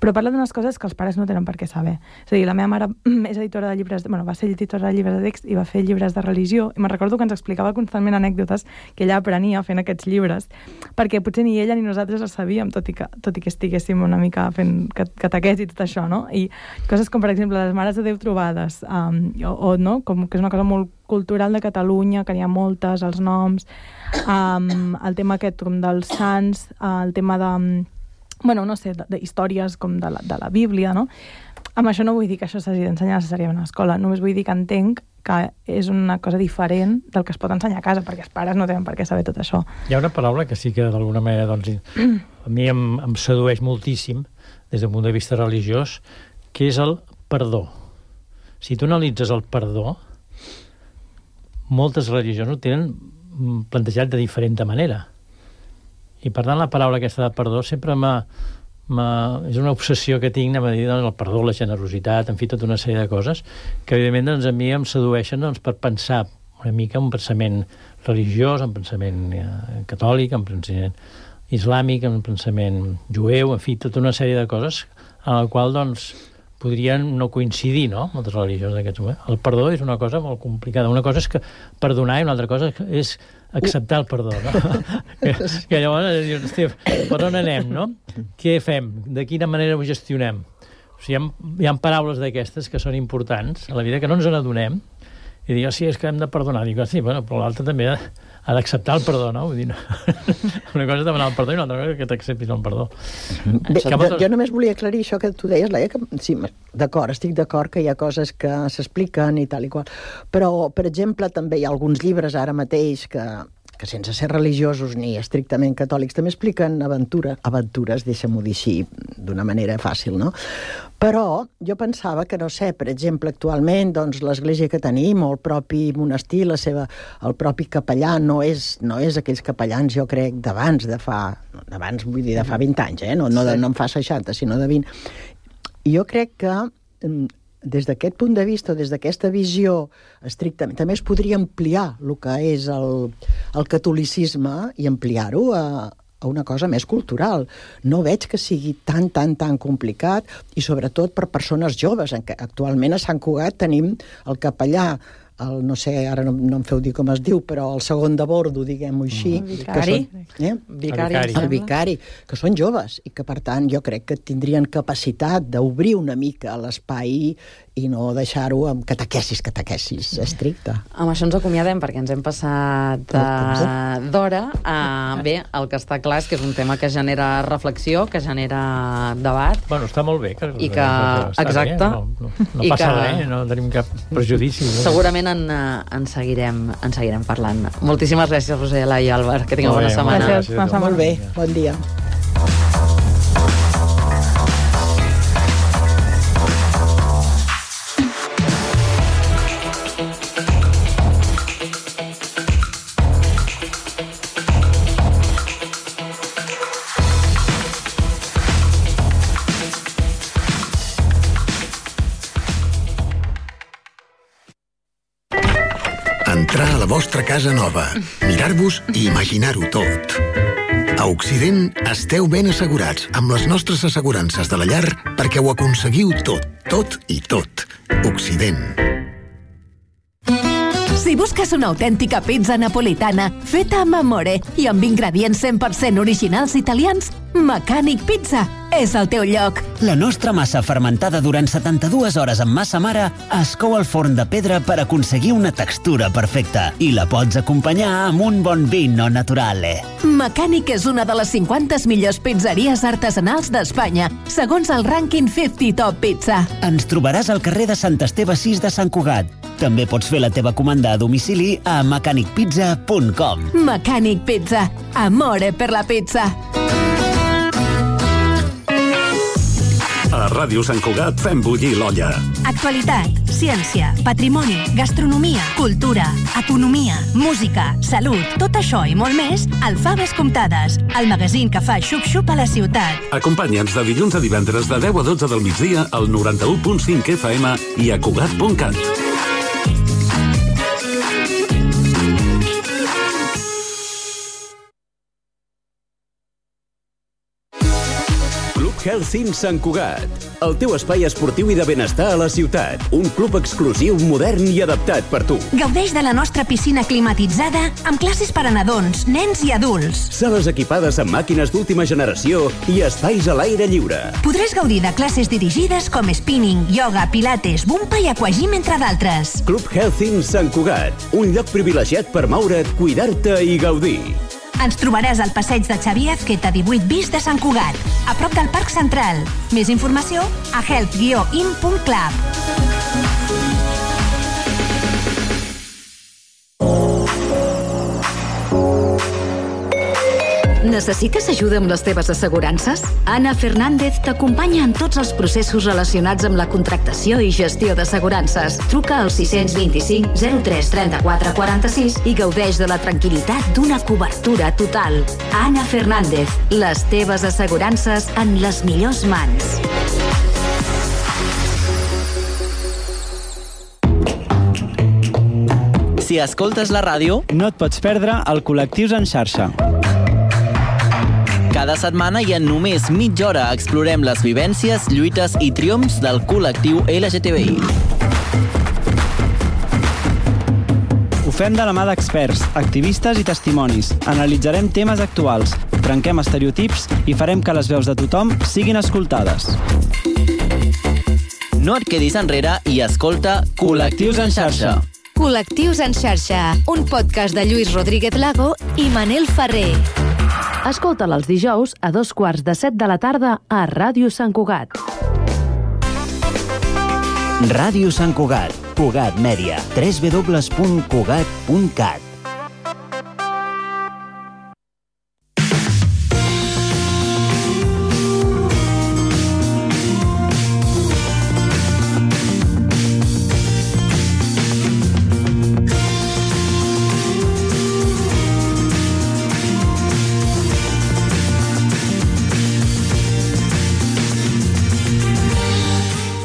Speaker 9: Però parla d'unes coses que els pares no tenen per què saber. És a dir, la meva mare és editora de llibres, va ser editora de llibres de text i va fer llibres de religió, i me'n recordo que ens explicava constantment anècdotes que ella aprenia fent aquests llibres, perquè potser ni ella ni nosaltres els sabíem, tot i que estiguéssim una mica fent catequesi i tot això, no? I coses com, per exemple, les mares de Déu trobades, com que és una cosa molt cultural de Catalunya, que n'hi ha moltes, els noms, el tema aquest com dels sants, el tema de històries com de la Bíblia, no? Amb això no vull dir que això s'hagi d'ensenyar necessàriament a l'escola, només vull dir que entenc que és una cosa diferent del que es pot ensenyar a casa, perquè els pares no tenen per què saber tot això.
Speaker 10: Hi ha una paraula que sí que d'alguna manera a mi em sedueix moltíssim des del punt de vista religiós, que és el perdó. Si tu analitzes el perdó, moltes religions ho tenen plantejat de diferent manera. I per tant la paraula aquesta de perdó sempre és una obsessió que tinc, anem a dir, el perdó, la generositat, en fi, tota una sèrie de coses que evidentment a mi em sedueixen per pensar una mica un pensament religiós, un pensament catòlic, un pensament islàmic, un pensament jueu, en fi, tota una sèrie de coses en la qual podrien no coincidir, no?, moltes religions d'aquests moments. El perdó és una cosa molt complicada. Una cosa és que perdonar i una altra cosa és acceptar el perdó, no? que llavors dius, hosti, per on anem, no? Què fem? De quina manera ho gestionem? O sigui, hi ha paraules d'aquestes que són importants a la vida que no ens n'adonem i dic, sí, és que hem de perdonar. Dic, sí, bueno, però l'altre també ha d'acceptar el perdó, no? Vull dir, no. Una cosa és demanar el perdó i una altra cosa és que t'acceptis el perdó.
Speaker 8: Bé, jo només volia aclarir això que tu deies, Laia, que sí, d'acord, estic d'acord que hi ha coses que s'expliquen i tal i qual, però, per exemple, també hi ha alguns llibres ara mateix que sense ser religiosos ni estrictament catòlics també expliquen aventures, deixa'm-ho dir així, d'una manera fàcil, no? Però jo pensava que, no sé, per exemple, actualment, doncs, l'església que tenim, o el propi monestir, el propi capellà, no és aquells capellans, jo crec, d'abans, vull dir, de fa 20 anys, no en fa 60, sinó de 20. I jo crec que des d'aquest punt de vista, des d'aquesta visió estrictament, també es podria ampliar el que és el catolicisme i ampliar-ho a una cosa més cultural. No veig que sigui tan complicat i sobretot per persones joves, en què actualment a Sant Cugat tenim el capellà, no sé, ara no em feu dir com es diu, però el segon de bordo, diguem-ho així. El vicari, que són joves i que, per tant, jo crec que tindrien capacitat d'obrir una mica l'espai i no deixar-ho amb catequesis estricte.
Speaker 4: Amb això ens acomiadem, perquè ens hem passat d'hora. Bé, el que està clar és que és un tema que genera reflexió, que genera debat.
Speaker 10: Bueno, està molt bé.
Speaker 4: Exacte.
Speaker 10: No passa res, no tenim cap prejudici.
Speaker 4: Segurament en seguirem parlant. Moltíssimes gràcies, Roser, Laia i Àlvar. Que tingueu bona setmana.
Speaker 9: Gràcies.
Speaker 8: Molt bé, bon dia.
Speaker 11: Entrar a la vostra casa nova, mirar-vos i imaginar-ho tot. A Occident esteu ben assegurats amb les nostres assegurances de la llar perquè ho aconseguiu tot i tot. Occident.
Speaker 6: Si busques una autèntica pizza napolitana feta amb amore i amb ingredients 100% originals italians, Mecànic Pizza és el teu lloc.
Speaker 3: La nostra massa fermentada durant 72 hores amb massa mare es cou al forn de pedra per aconseguir una textura perfecta i la pots acompanyar amb un bon vino naturale.
Speaker 6: Mecànic és una de les 50 millors pizzeries artesanals d'Espanya, segons el rànquing 50 Top Pizza.
Speaker 3: Ens trobaràs al carrer de Sant Esteve 6 de Sant Cugat. També pots fer la teva comanda a domicili a mecanicpizza.com.
Speaker 6: Mecànic Pizza. Amore per la pizza.
Speaker 1: A Ràdio Sant Cugat fem bullir l'olla.
Speaker 12: Actualitat, ciència, patrimoni, gastronomia, cultura, economia, música, salut, tot això i molt més al Faves Comptades, el magazín que fa xup-xup a la ciutat.
Speaker 1: Acompanya'ns de dilluns a divendres de 10 a 12 del migdia al 91.5 FM i a Cugat.cat.
Speaker 13: Health Sant Cugat, el teu espai esportiu i de benestar a la ciutat. Un club exclusiu, modern i adaptat per tu.
Speaker 12: Gaudeix de la nostra piscina climatitzada amb classes per a nadons, nens i adults.
Speaker 13: Sales equipades amb màquines d'última generació i espais a l'aire lliure.
Speaker 12: Podràs gaudir de classes dirigides com spinning, yoga, pilates, bumpa i aquagym, entre d'altres.
Speaker 13: Club Health Sant Cugat, un lloc privilegiat per moure't, cuidar-te i gaudir.
Speaker 12: Ens trobaràs al passeig de Xavier Ezqueta 18 bis de Sant Cugat, a prop del Parc Central. Més informació a health-in.club.
Speaker 6: Necessites ajuda amb les teves assegurances? Anna Fernández t'acompanya en tots els processos relacionats amb la contractació i gestió d'assegurances. Truca al 625 03 34 46 i gaudeix de la tranquil·litat d'una cobertura total. Anna Fernández, les teves assegurances en les millors mans.
Speaker 14: Si escoltes la ràdio, no et pots perdre el Col·lectius en xarxa. Cada setmana i en només mitja hora explorem les vivències, lluites i triomfs del col·lectiu LGTBI. Ho fem de la mà d'experts, activistes i testimonis. Analitzarem temes actuals, trenquem estereotips i farem que les veus de tothom siguin escoltades. No et quedis enrere i escolta Col·lectius en xarxa.
Speaker 6: Col·lectius en xarxa, un podcast de Lluís Rodríguez Lago i Manel Ferrer.
Speaker 7: Escolta'l els dijous a 2:15 de la tarda a Ràdio Sant Cugat.
Speaker 3: Ràdio Sant Cugat, Cugat Mèria, www.cugat.cat.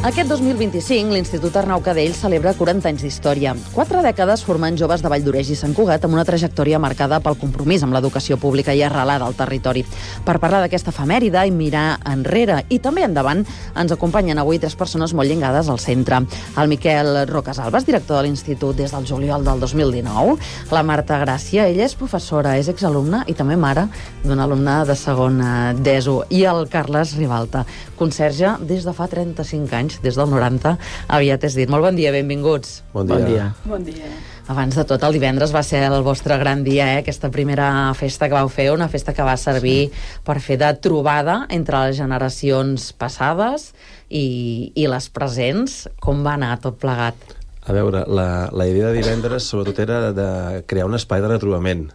Speaker 4: Aquest 2025, l'Institut Arnau Cadell celebra 40 anys d'història. 4 dècades formant joves de Valldoreix i Sant Cugat amb una trajectòria marcada pel compromís amb l'educació pública i arrelada al territori. Per parlar d'aquesta efemèride i mirar enrere i també endavant, ens acompanyen avui 3 persones molt lligades al centre. El Miquel Rocasalbas, director de l'Institut des del juliol del 2019. La Marta Gràcia, ella és professora, és exalumna i també mare d'un alumne de segon d'ESO. I el Carles Ribalta, conserge des de fa 35 anys, des del 90, aviat és dit. Molt bon dia, benvinguts.
Speaker 15: Bon dia.
Speaker 9: Bon dia.
Speaker 4: Abans de tot, el divendres va ser el vostre gran dia, aquesta primera festa que vau fer, una festa que va servir per fer de trobada entre les generacions passades i les presents. Com va anar tot plegat?
Speaker 15: A veure, la idea de divendres sobretot era de crear un espai de retrobament.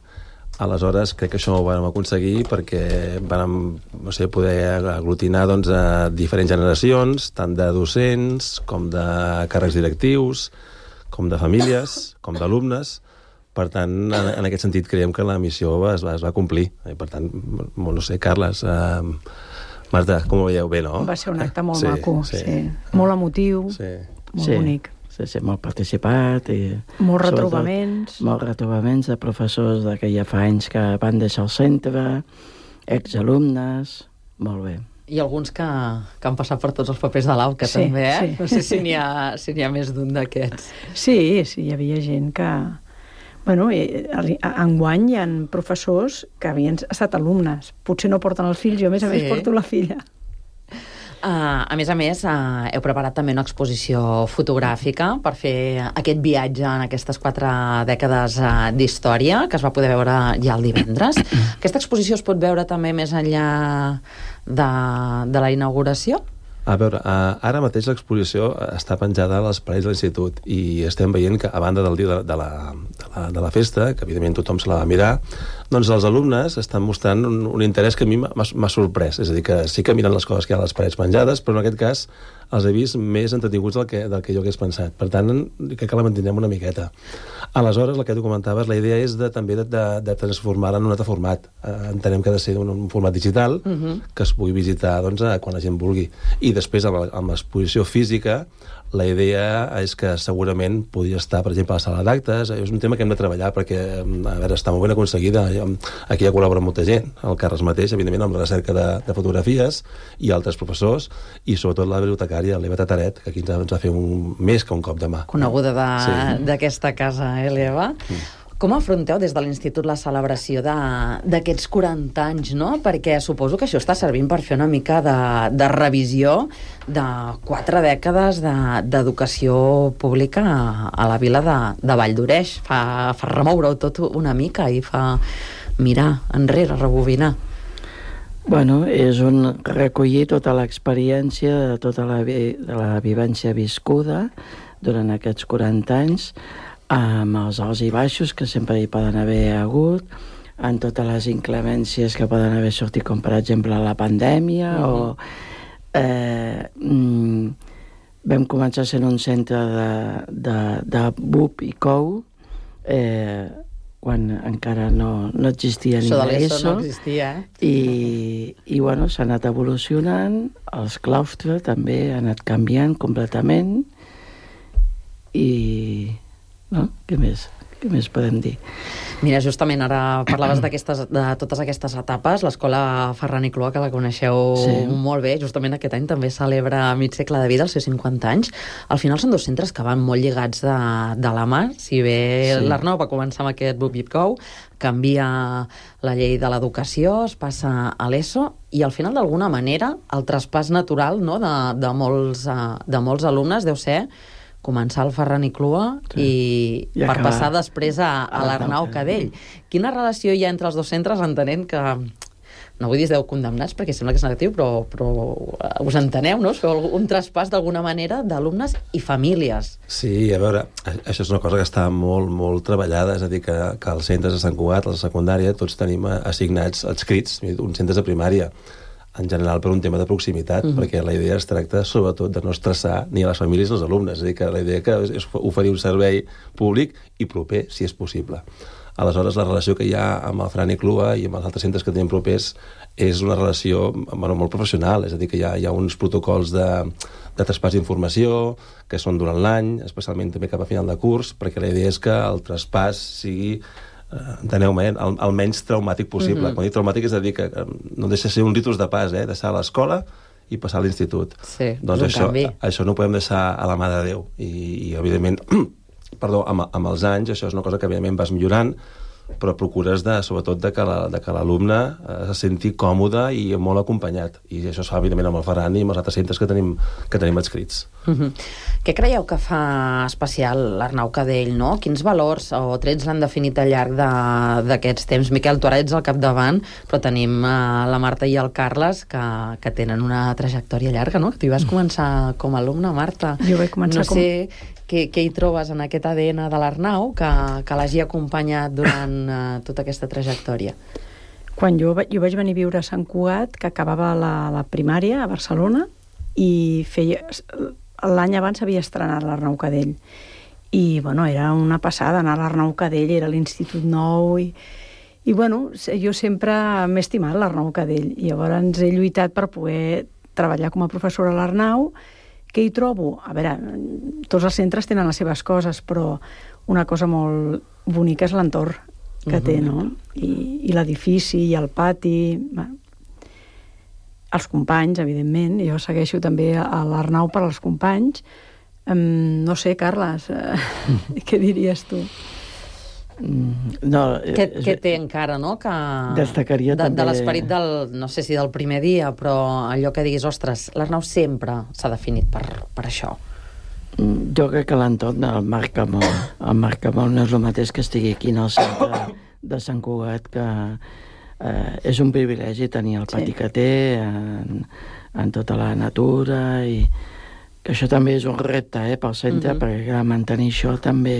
Speaker 15: Aleshores, crec que això ho vam aconseguir perquè vam poder aglutinar a diferents generacions, tant de docents, com de càrrecs directius, com de famílies, com d'alumnes. Per tant, en aquest sentit, creiem que la missió es va complir. Per tant, no sé, Carles, Marta, com ho veieu? Bé, no?
Speaker 8: Va ser un acte molt maco, sí. Molt emotiu, molt bonic.
Speaker 16: Sí, molt participat i...
Speaker 8: Molts retrobaments.
Speaker 16: Molts retrobaments de professors que ja fa anys que van deixar el centre, exalumnes, molt bé.
Speaker 4: I alguns que han passat per tots els papers de l'AU, que també, eh? Sí. No sé si n'hi ha més d'un d'aquests.
Speaker 8: Sí, hi havia gent que... Bueno, enguany hi ha professors que havien estat alumnes. Potser no porten els fills, jo a més porto la filla.
Speaker 4: A més, heu preparat també una exposició fotogràfica per fer aquest viatge en aquestes 4 dècades d'història, que es va poder veure ja el divendres. Aquesta exposició es pot veure també més enllà de la inauguració?
Speaker 15: A veure, ara mateix l'exposició està penjada a les parets de l'institut i estem veient que, a banda del dia de la festa, que evidentment tothom se la va mirar, doncs els alumnes estan mostrant un interès que a mi m'ha sorprès. És a dir, que sí que miren les coses que hi ha a les parets penjades, però en aquest cas els he vist més entretinguts del que jo hagués pensat. Per tant, crec que la mantindrem una miqueta. Aleshores, el que tu comentaves, la idea és també de transformar-la en un altre format. Entenem que ha de ser un format digital que es pugui visitar quan la gent vulgui. I després, amb l'exposició física, la idea és que segurament podria estar, per exemple, a la sala d'actes. És un tema que hem de treballar perquè, a veure, està molt ben aconseguida. Aquí ja col·labora molta gent, el Carles mateix, evidentment, amb la recerca de fotografies i altres professors, i sobretot la bibliotecària, l'Eva Tataret, que aquí ens va fer més que un cop de mà.
Speaker 4: Coneguda d'aquesta casa, l'Eva. Com afronteu des de l'Institut la celebració d'aquests 40 anys, no? Perquè suposo que això està servint per fer una mica de revisió de 4 dècades d'educació pública a la vila de Valldoreix. Fa remoure-ho tot una mica i fa mirar enrere, rebobinar.
Speaker 16: Bueno, és recollir tota l'experiència de tota la vivència viscuda durant aquests 40 anys, amb els alts i baixos que sempre hi poden haver hagut, en totes les inclemències que poden haver sortit, com per exemple la pandèmia, o vam començar sent un centre de BUP i COU, quan encara no existia ni
Speaker 4: Això de
Speaker 16: l'ESO.
Speaker 4: l'ESO no existia,
Speaker 16: I bueno, s'ha anat evolucionant, els claustres també han anat canviant completament, i no? Què més podem dir?
Speaker 4: Mira, justament ara parlaves de totes aquestes etapes. L'escola Ferran i Clua, que la coneixeu molt bé, justament aquest any també celebra mig segle de vida, els seus 50 anys. Al final són dos centres que van molt lligats de la mà. Si bé l'Arnau va començar amb aquest BUP-IPCOU, canvia la llei de l'educació, es passa a l'ESO, i al final, d'alguna manera, el traspàs natural, no, de molts alumnes deu ser començar al Ferran i Clua i per passar després a l'Arnau Cadell. Quina relació hi ha entre els dos centres, entenent que, no vull dir esteu condemnats perquè sembla que és negatiu, però us enteneu, no? Us feu un traspàs d'alguna manera d'alumnes i famílies.
Speaker 15: Sí, a veure, això és una cosa que està molt, molt treballada, és a dir, que els centres de Sant Cugat, la secundària, tots tenim assignats, adscrits, uns centres de primària, en general per un tema de proximitat, perquè la idea es tracta sobretot de no estressar ni a les famílies ni als alumnes, és a dir, que la idea és oferir un servei públic i proper, si és possible. Aleshores, la relació que hi ha amb el Ferran i Clua i amb els altres centres que tenim propers és una relació molt professional, és a dir, que hi ha uns protocols de traspàs d'informació que són durant l'any, especialment també cap a final de curs, perquè la idea és que el traspàs sigui, enteneu-me, el menys traumàtic possible. Quan dic traumàtic és a dir que no deixa de ser un ritus de pas, deixar l'escola i passar a l'institut.
Speaker 4: Sí,
Speaker 15: doncs això no ho podem deixar a la mà de Déu. I evidentment, amb els anys, això és una cosa que evidentment vas millorant, però procures sobretot que l'alumne se senti còmode i molt acompanyat. I això es fa, evidentment, amb el Ferran i amb els altres centres que tenim adscrits.
Speaker 4: Què creieu que fa especial l'Arnau Cadell, no? Quins valors o trets l'han definit al llarg d'aquests temps? Miquel, tu ara ets al capdavant, però tenim la Marta i el Carles que tenen una trajectòria llarga, no? Tu hi vas començar com a alumne, Marta.
Speaker 8: Jo vaig començar
Speaker 4: què hi trobes en aquest ADN de l'Arnau que l'hagi acompanyat durant tota aquesta trajectòria?
Speaker 8: Quan jo vaig venir a viure a Sant Cugat, que acabava la primària a Barcelona, i l'any abans havia estrenat l'Arnau Cadell. I, bueno, era una passada anar a l'Arnau Cadell, era l'Institut Nou, i bueno, jo sempre m'he estimat l'Arnau Cadell, i llavors he lluitat per poder treballar com a professora a l'Arnau. Què hi trobo? A veure, tots els centres tenen les seves coses, però una cosa molt bonica és l'entorn que té, no? I l'edifici, i el pati. Bueno, els companys, evidentment. Jo segueixo també a l'Arnau per als companys. No sé, Carles, què diries tu?
Speaker 4: Què té encara, no?
Speaker 16: Destacaria també...
Speaker 4: De l'esperit del, no sé si del primer dia, però allò que diguis, ostres, l'Arnau sempre s'ha definit per això.
Speaker 16: Jo crec que l'entorn el marca molt. El marca molt, no és el mateix que estigui aquí en el centre de Sant Cugat, que és un privilegi tenir el pati que té en tota la natura, i que això també és un repte pel centre, perquè mantenir això també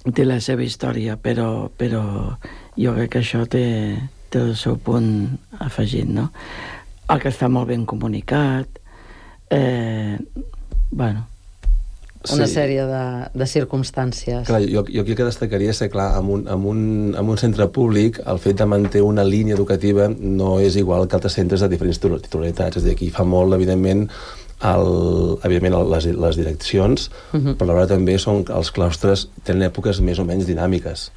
Speaker 16: té la seva història, però jo crec que això té el seu punt afegit, no? El que està molt ben comunicat, bueno...
Speaker 4: Una sèrie de circumstàncies.
Speaker 15: Clar, jo aquí el que destacaria és que, clar, amb un centre públic, el fet de mantenir una línia educativa no és igual que altres centres de diferents titularitats. És a dir, aquí fa molt, evidentment, les direccions, però alhora també són els claustres tenen èpoques més o menys dinàmiques,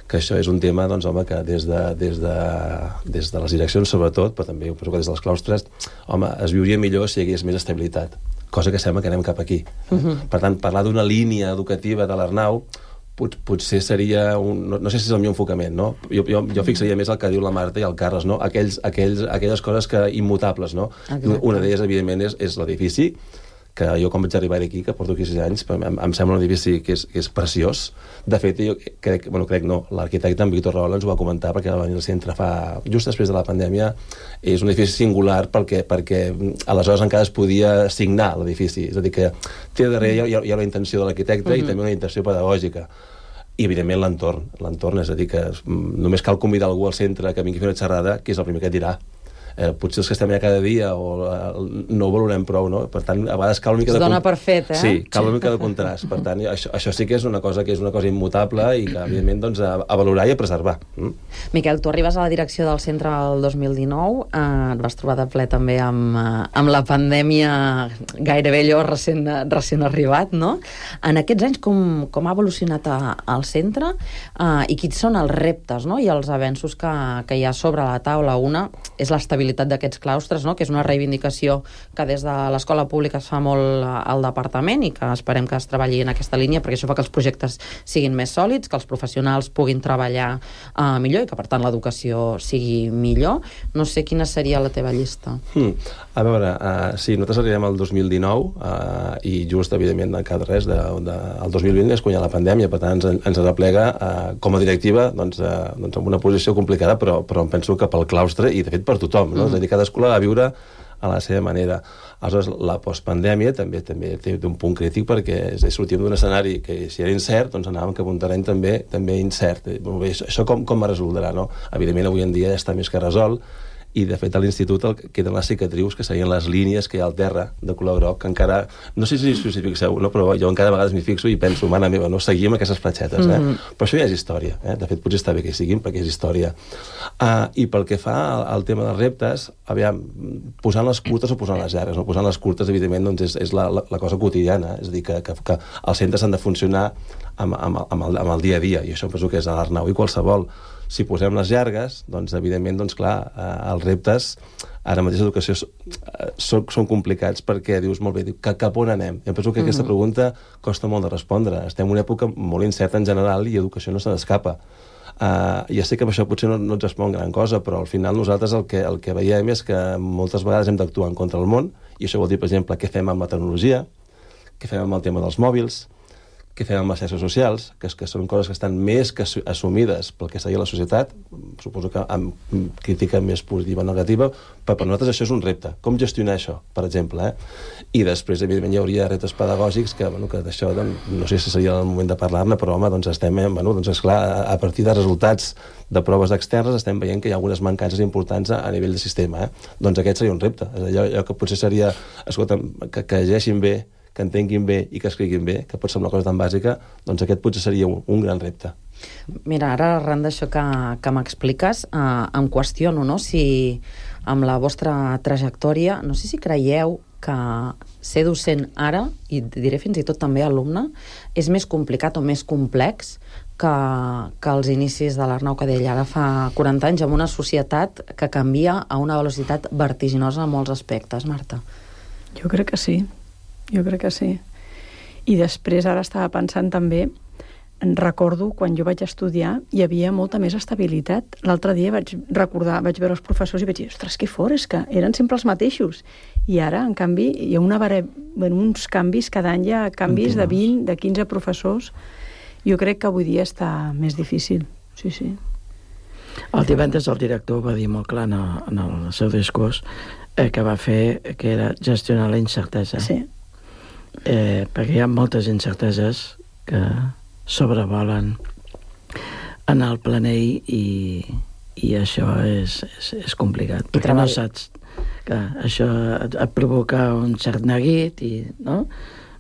Speaker 15: que això és un tema, doncs, home, que des de les direccions sobretot, però també penso que des dels claustres, home, es viuria millor si hi hagués més estabilitat, cosa que sembla que anem cap aquí. Per tant, parlar d'una línia educativa de l'Arnau potser seria no sé si és el meu enfocament, no? Jo fixaria més el que diu la Marta i el Carles, no? Aquelles coses immutables, no? Una d'elles, evidentment, és l'edifici, que jo quan vaig arribar aquí, que porto aquí 6 anys, em sembla un edifici que és preciós. De fet, jo crec no, l'arquitecte en Víctor Rahola ens ho va comentar, perquè va venir al centre just després de la pandèmia. És un edifici singular perquè aleshores encara es podia signar l'edifici, és a dir, que té darrere hi ha una intenció de l'arquitecte i també una intenció pedagògica. I, evidentment, l'entorn, és a dir, que només cal convidar algú al centre que vingui a fer una xerrada, que és el primer que et dirà. Potser els que estem allà cada dia no ho valorem prou, no? Per tant, a vegades cal una mica de...
Speaker 4: Es dona per fet, eh?
Speaker 15: Sí, cal una mica de contrast. Per tant, això sí que és una cosa immutable i que, evidentment, doncs, a valorar i a preservar.
Speaker 4: Miquel, tu arribes a la direcció del centre el 2019, et vas trobar de ple també amb la pandèmia gairebé allò recent arribat, no? En aquests anys, com ha evolucionat el centre i quins són els reptes, no? I els avenços que hi ha sobre la taula? Una és l'estabilitat d'aquests claustres, no? Que és una reivindicació que des de l'escola pública es fa molt al departament i que esperem que es treballi en aquesta línia, perquè això fa que els projectes siguin més sòlids, que els professionals puguin treballar millor i que, per tant, l'educació sigui millor. No sé quina seria la teva llista.
Speaker 15: A veure, sí, nosaltres arribem al 2019 i just, evidentment, cada res, el 2020 és quan hi ha la pandèmia, per tant, ens arreplega com a directiva en una posició complicada, però em penso que pel claustre i, de fet, per tothom, no? És a dir, cadascú la va viure a la seva manera. Aleshores, la postpandèmia també té un punt crític perquè sortíem d'un escenari que si era incert, doncs anàvem cap a un terreny també incert. Això com es resoldrà, no? Evidentment, avui en dia ja està més que resolt, i de fet a l'institut queden les cicatrius, que serien les línies que hi ha al terra de color groc, que encara, no sé si us hi fixeu, no? Però jo encara a vegades m'hi fixo i penso, mare meva, no seguim aquestes fletxetes, però això ja és història, de fet potser està bé que hi siguin perquè és història. I pel que fa al tema dels reptes, aviam, posant les curtes o posant les llargues, no? Posant les curtes, evidentment, doncs és la cosa quotidiana, és a dir, que els centres han de funcionar amb el dia a dia, i això penso que és a l'Arnau i qualsevol. Si posem les llargues, doncs, evidentment, clar, els reptes ara mateix d'educació són complicats perquè dius, molt bé, cap on anem? Jo penso que aquesta pregunta costa molt de respondre. Estem en una època molt incerta en general i educació no se n'escapa. Ja sé que amb això potser no ens respon gran cosa, però al final nosaltres el que veiem és que moltes vegades hem d'actuar en contra del món, i això vol dir, per exemple, què fem amb la tecnologia, què fem amb el tema dels mòbils, què fem amb les xarxes socials, que són coses que estan més que assumides pel que seria la societat, suposo que amb crítica més positiva o negativa, però per nosaltres això és un repte. Com gestionar això, per exemple? I després, evidentment, hi hauria reptes pedagògics que d'això, no sé si seria el moment de parlar-ne, però, home, doncs estem, esclar, a partir de resultats de proves externes estem veient que hi ha algunes mancances importants a nivell de sistema. Doncs aquest seria un repte. Allò que potser seria, escolta, que llegeixin bé, que entenguin bé i que escriguin bé, que pot ser una cosa tan bàsica, doncs aquest potser seria un gran repte.
Speaker 4: Mira, ara arran d'això que m'expliques, em qüestiono, no?, si amb la vostra trajectòria, no sé si creieu que ser docent ara, i diré fins i tot també alumne, és més complicat o més complex que els inicis de l'Arnau Cadell ara fa 40 anys, amb una societat que canvia a una velocitat vertiginosa en molts aspectes, Marta.
Speaker 9: Jo crec que sí. I després ara estava pensant també, recordo quan jo vaig estudiar hi havia molta més estabilitat. L'altre dia vaig veure els professors i vaig dir, ostres, que fort, és que eren sempre els mateixos. I ara, en canvi, hi ha uns canvis, cada any hi ha canvis de 20, de 15 professors. Jo crec que avui dia està més difícil. Sí.
Speaker 16: El divendres el director va dir molt clar en el seu discurs que va fer, que era gestionar la incertesa.
Speaker 9: Sí.
Speaker 16: Perquè hi ha moltes incerteses que sobrevolen en el planell i això és complicat, perquè no saps que això et provoca un cert neguit i, no?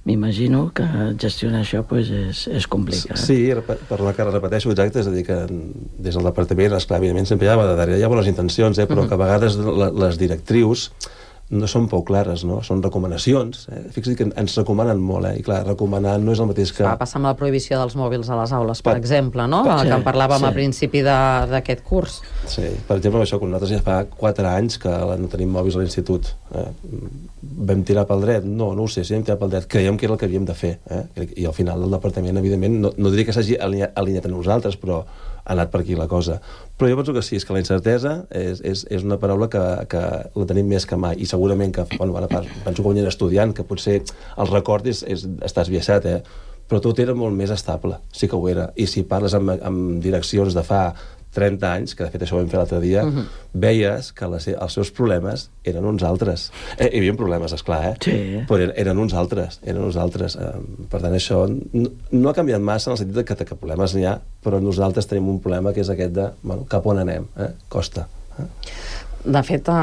Speaker 16: M'imagino que gestionar això és complicat.
Speaker 15: Sí, per la que repeteixo, exacte, és a dir, que des del departament, esclar, evidentment sempre hi ha bones intencions, però que a vegades les directrius no són prou clares, no? Són recomanacions. Fixa't que ens recomanen molt, i clar, recomanar no és el mateix que...
Speaker 4: Va passar amb la prohibició dels mòbils a les aules, per exemple, no? Que en parlàvem a principi d'aquest curs.
Speaker 15: Sí, per exemple, això, quan nosaltres ja fa 4 anys que no tenim mòbils a l'institut, vam tirar pel dret? No ho sé, si vam tirar pel dret, creiem que era el que havíem de fer, i al final el departament, evidentment, no diria que s'hagi alineat a nosaltres, però ha anat per aquí la cosa. Però jo penso que sí, és que la incertesa és una paraula que la tenim més que mai, i segurament que, bueno, ara penso que quan era estudiant, que potser el record està esbiaixat, però tot era molt més estable, sí que ho era. I si parles amb direccions de fa 30 anys, que de fet això ho vam fer l'altre dia, veies que els seus problemes eren uns altres. Hi havia problemes, esclar,
Speaker 16: Sí.
Speaker 15: però eren uns altres. Per tant, això no ha canviat massa en el sentit que problemes n'hi ha, però nosaltres tenim un problema que és aquest de, bueno, cap on anem, costa.
Speaker 4: De fet,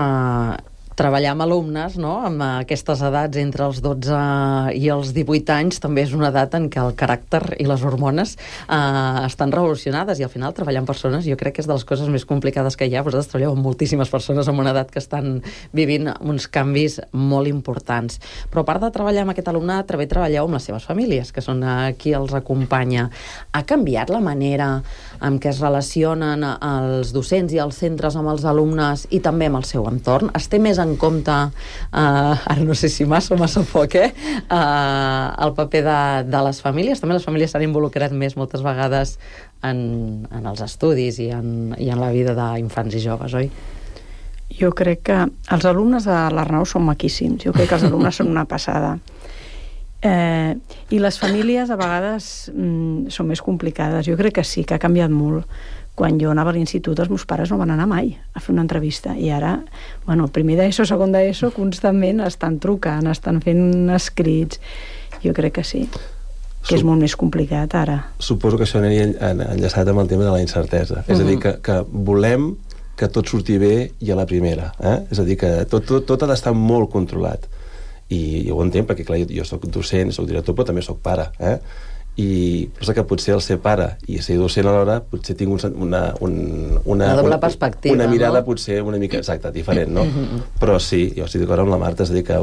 Speaker 4: treballar amb alumnes, no?, amb aquestes edats entre els 12 i els 18 anys també és una edat en què el caràcter i les hormones estan revolucionades, i al final treballar amb persones jo crec que és de les coses més complicades que hi ha. Vosaltres treballeu amb moltíssimes persones amb una edat que estan vivint uns canvis molt importants. Però a part de treballar amb aquest alumnat, també treballeu amb les seves famílies, que són qui els acompanya. Ha canviat la manera en què es relacionen els docents i els centres amb els alumnes i també amb el seu entorn? Es té més en compte, ara no sé si massa o massa poc, el paper de les famílies? També les famílies s'han involucrat més moltes vegades en els estudis i en la vida d'infants i joves, oi?
Speaker 8: Jo crec que els alumnes de l'Arnau són maquíssims. Jo crec que els alumnes són una passada. I les famílies a vegades són més complicades. Jo crec que sí, que ha canviat molt. Quan jo anava a l'institut, els meus pares no van anar mai a fer una entrevista, i ara, bueno, primer d'ESO, segon d'ESO, constantment estan trucant, estan fent escrits. Jo crec que sí, que és molt més complicat ara.
Speaker 15: Suposo que això aniria enllaçat amb el tema de la incertesa. És a dir, que volem que tot surti bé i a la primera. És a dir, que tot ha d'estar molt controlat. I ho entenc, perquè clar, jo soc docent, soc director, però també soc pare, i pensa que potser el ser pare i ser docent alhora potser tinc una
Speaker 4: doble perspectiva,
Speaker 15: una mirada,
Speaker 4: no?
Speaker 15: Potser una mica diferent, no? Però sí, jo estic d'acord amb la Marta, és a dir, que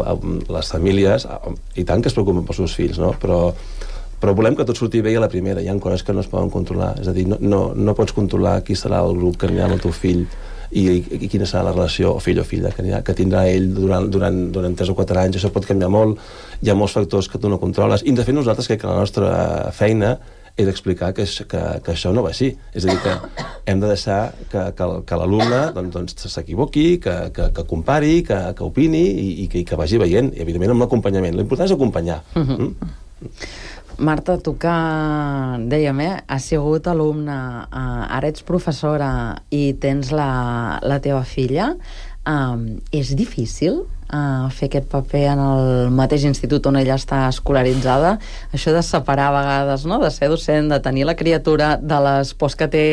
Speaker 15: les famílies, i tant que es preocupen pels seus fills, no? Però volem que tot surti bé i a la primera. Hi ha coses que no es poden controlar, és a dir, no pots controlar qui serà el grup que anirà amb el teu fill i quina serà la relació, o fill o filla, que tindrà ell durant 3 o 4 anys. Això pot canviar molt, hi ha molts factors que tu no controles, i de fet nosaltres crec que la nostra feina és explicar que això no va així. És a dir, que hem de deixar que l'alumne doncs, s'equivoqui, que compari, que opini i que vagi veient, i evidentment amb l'acompanyament. L'important és acompanyar.
Speaker 4: Marta, tu que, dèiem, has sigut alumna, ara ets professora i tens la teva filla, és difícil fer aquest paper en el mateix institut on ella està escolaritzada? Això de separar a vegades, no?, de ser docent, de tenir la criatura, de les pors que té,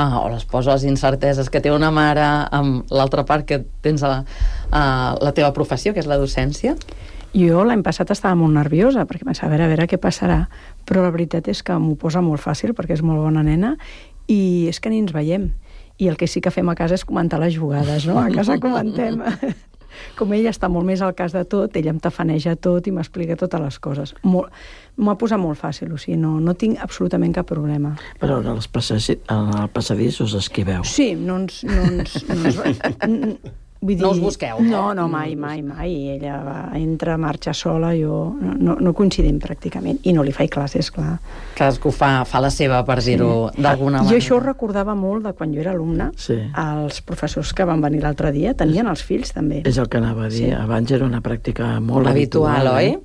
Speaker 4: o les pors o les incerteses que té una mare, amb l'altra part que tens la teva professió, que és la docència?
Speaker 8: Jo l'any passat estava molt nerviosa perquè pensava, a veure què passarà, però la veritat és que m'ho posa molt fàcil perquè és molt bona nena i és que ni ens veiem, i el que sí que fem a casa és comentar les jugades, no? A casa comentem. Com ella està molt més al cas de tot, ella em tafaneja tot i m'explica totes les coses. M'ho ha posat molt fàcil, o sigui, no tinc absolutament cap problema.
Speaker 16: Però en el passadís us esquiveu?
Speaker 8: Sí, no ens vull dir,
Speaker 4: no us busqueu?
Speaker 8: No, mai. Ella entra, marxa sola, jo no coincidim pràcticament, i no li faig classes, clar.
Speaker 4: Cadascú fa la seva, per dir-ho d'alguna manera.
Speaker 8: Jo això ho recordava molt de quan jo era alumna. Els professors que van venir l'altre dia tenien els fills, també.
Speaker 16: És el que anava a dir. Abans era una pràctica molt
Speaker 4: habitual, oi?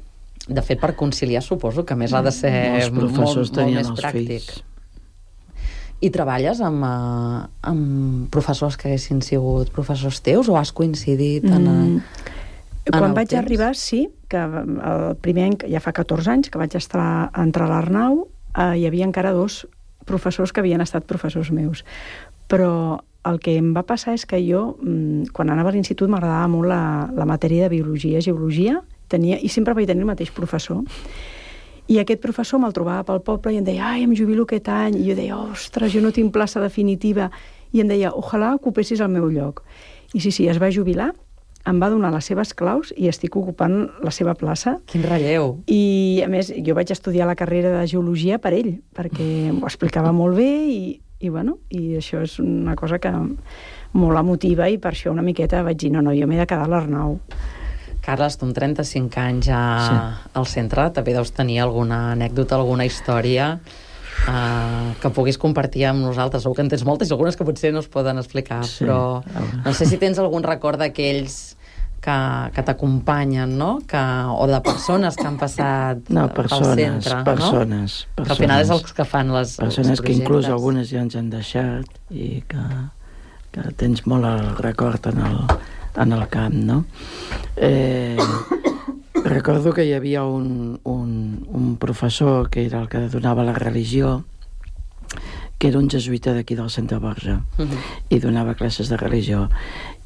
Speaker 4: De fet, per conciliar, suposo que més ha de ser molt més pràctic. I treballes amb professors que haguessin sigut professors teus, o has coincidit en
Speaker 8: quan vaig arribar, sí, que el primer any, ja fa 14 anys que vaig entrar a l'Arnau, hi havia encara 2 professors que havien estat professors meus. Però el que em va passar és que jo, quan anava a l'institut, m'agradava molt la matèria de biologia, geologia, i sempre vaig tenir el mateix professor. I aquest professor me'l trobava pel poble i em deia, em jubilo aquest any. I jo deia, ostres, jo no tinc plaça definitiva. I em deia, ojalà ocupessis el meu lloc. I sí, es va jubilar, em va donar les seves claus i estic ocupant la seva plaça.
Speaker 4: Quin relleu!
Speaker 8: I, a més, jo vaig estudiar la carrera de geologia per ell, perquè m'ho explicava molt bé i això és una cosa que molt emotiva, i per això una miqueta vaig dir, no, jo m'he de quedar a l'Arnau.
Speaker 4: Carles, tu amb 35 anys al centre també deus tenir alguna anècdota, alguna història que puguis compartir amb nosaltres. Segur que en tens moltes i algunes que potser no es poden explicar, però no sé si tens algun record d'aquells que t'acompanyen, no? O de persones que han passat pel centre.
Speaker 16: Persones.
Speaker 4: Que al final és els que fan els
Speaker 16: persones que inclús
Speaker 4: projectes.
Speaker 16: algunes ja ens han deixat i que tens molt el record en el camp, no? Recordo que hi havia un professor que era el que donava la religió, que era un jesuïta d'aquí del Centre Borja, i donava classes de religió,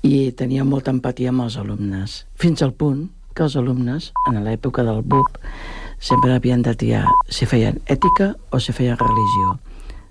Speaker 16: i tenia molta empatia amb els alumnes, fins al punt que els alumnes, en l'època del BUP, sempre havien de triar si feien ètica o si feien religió.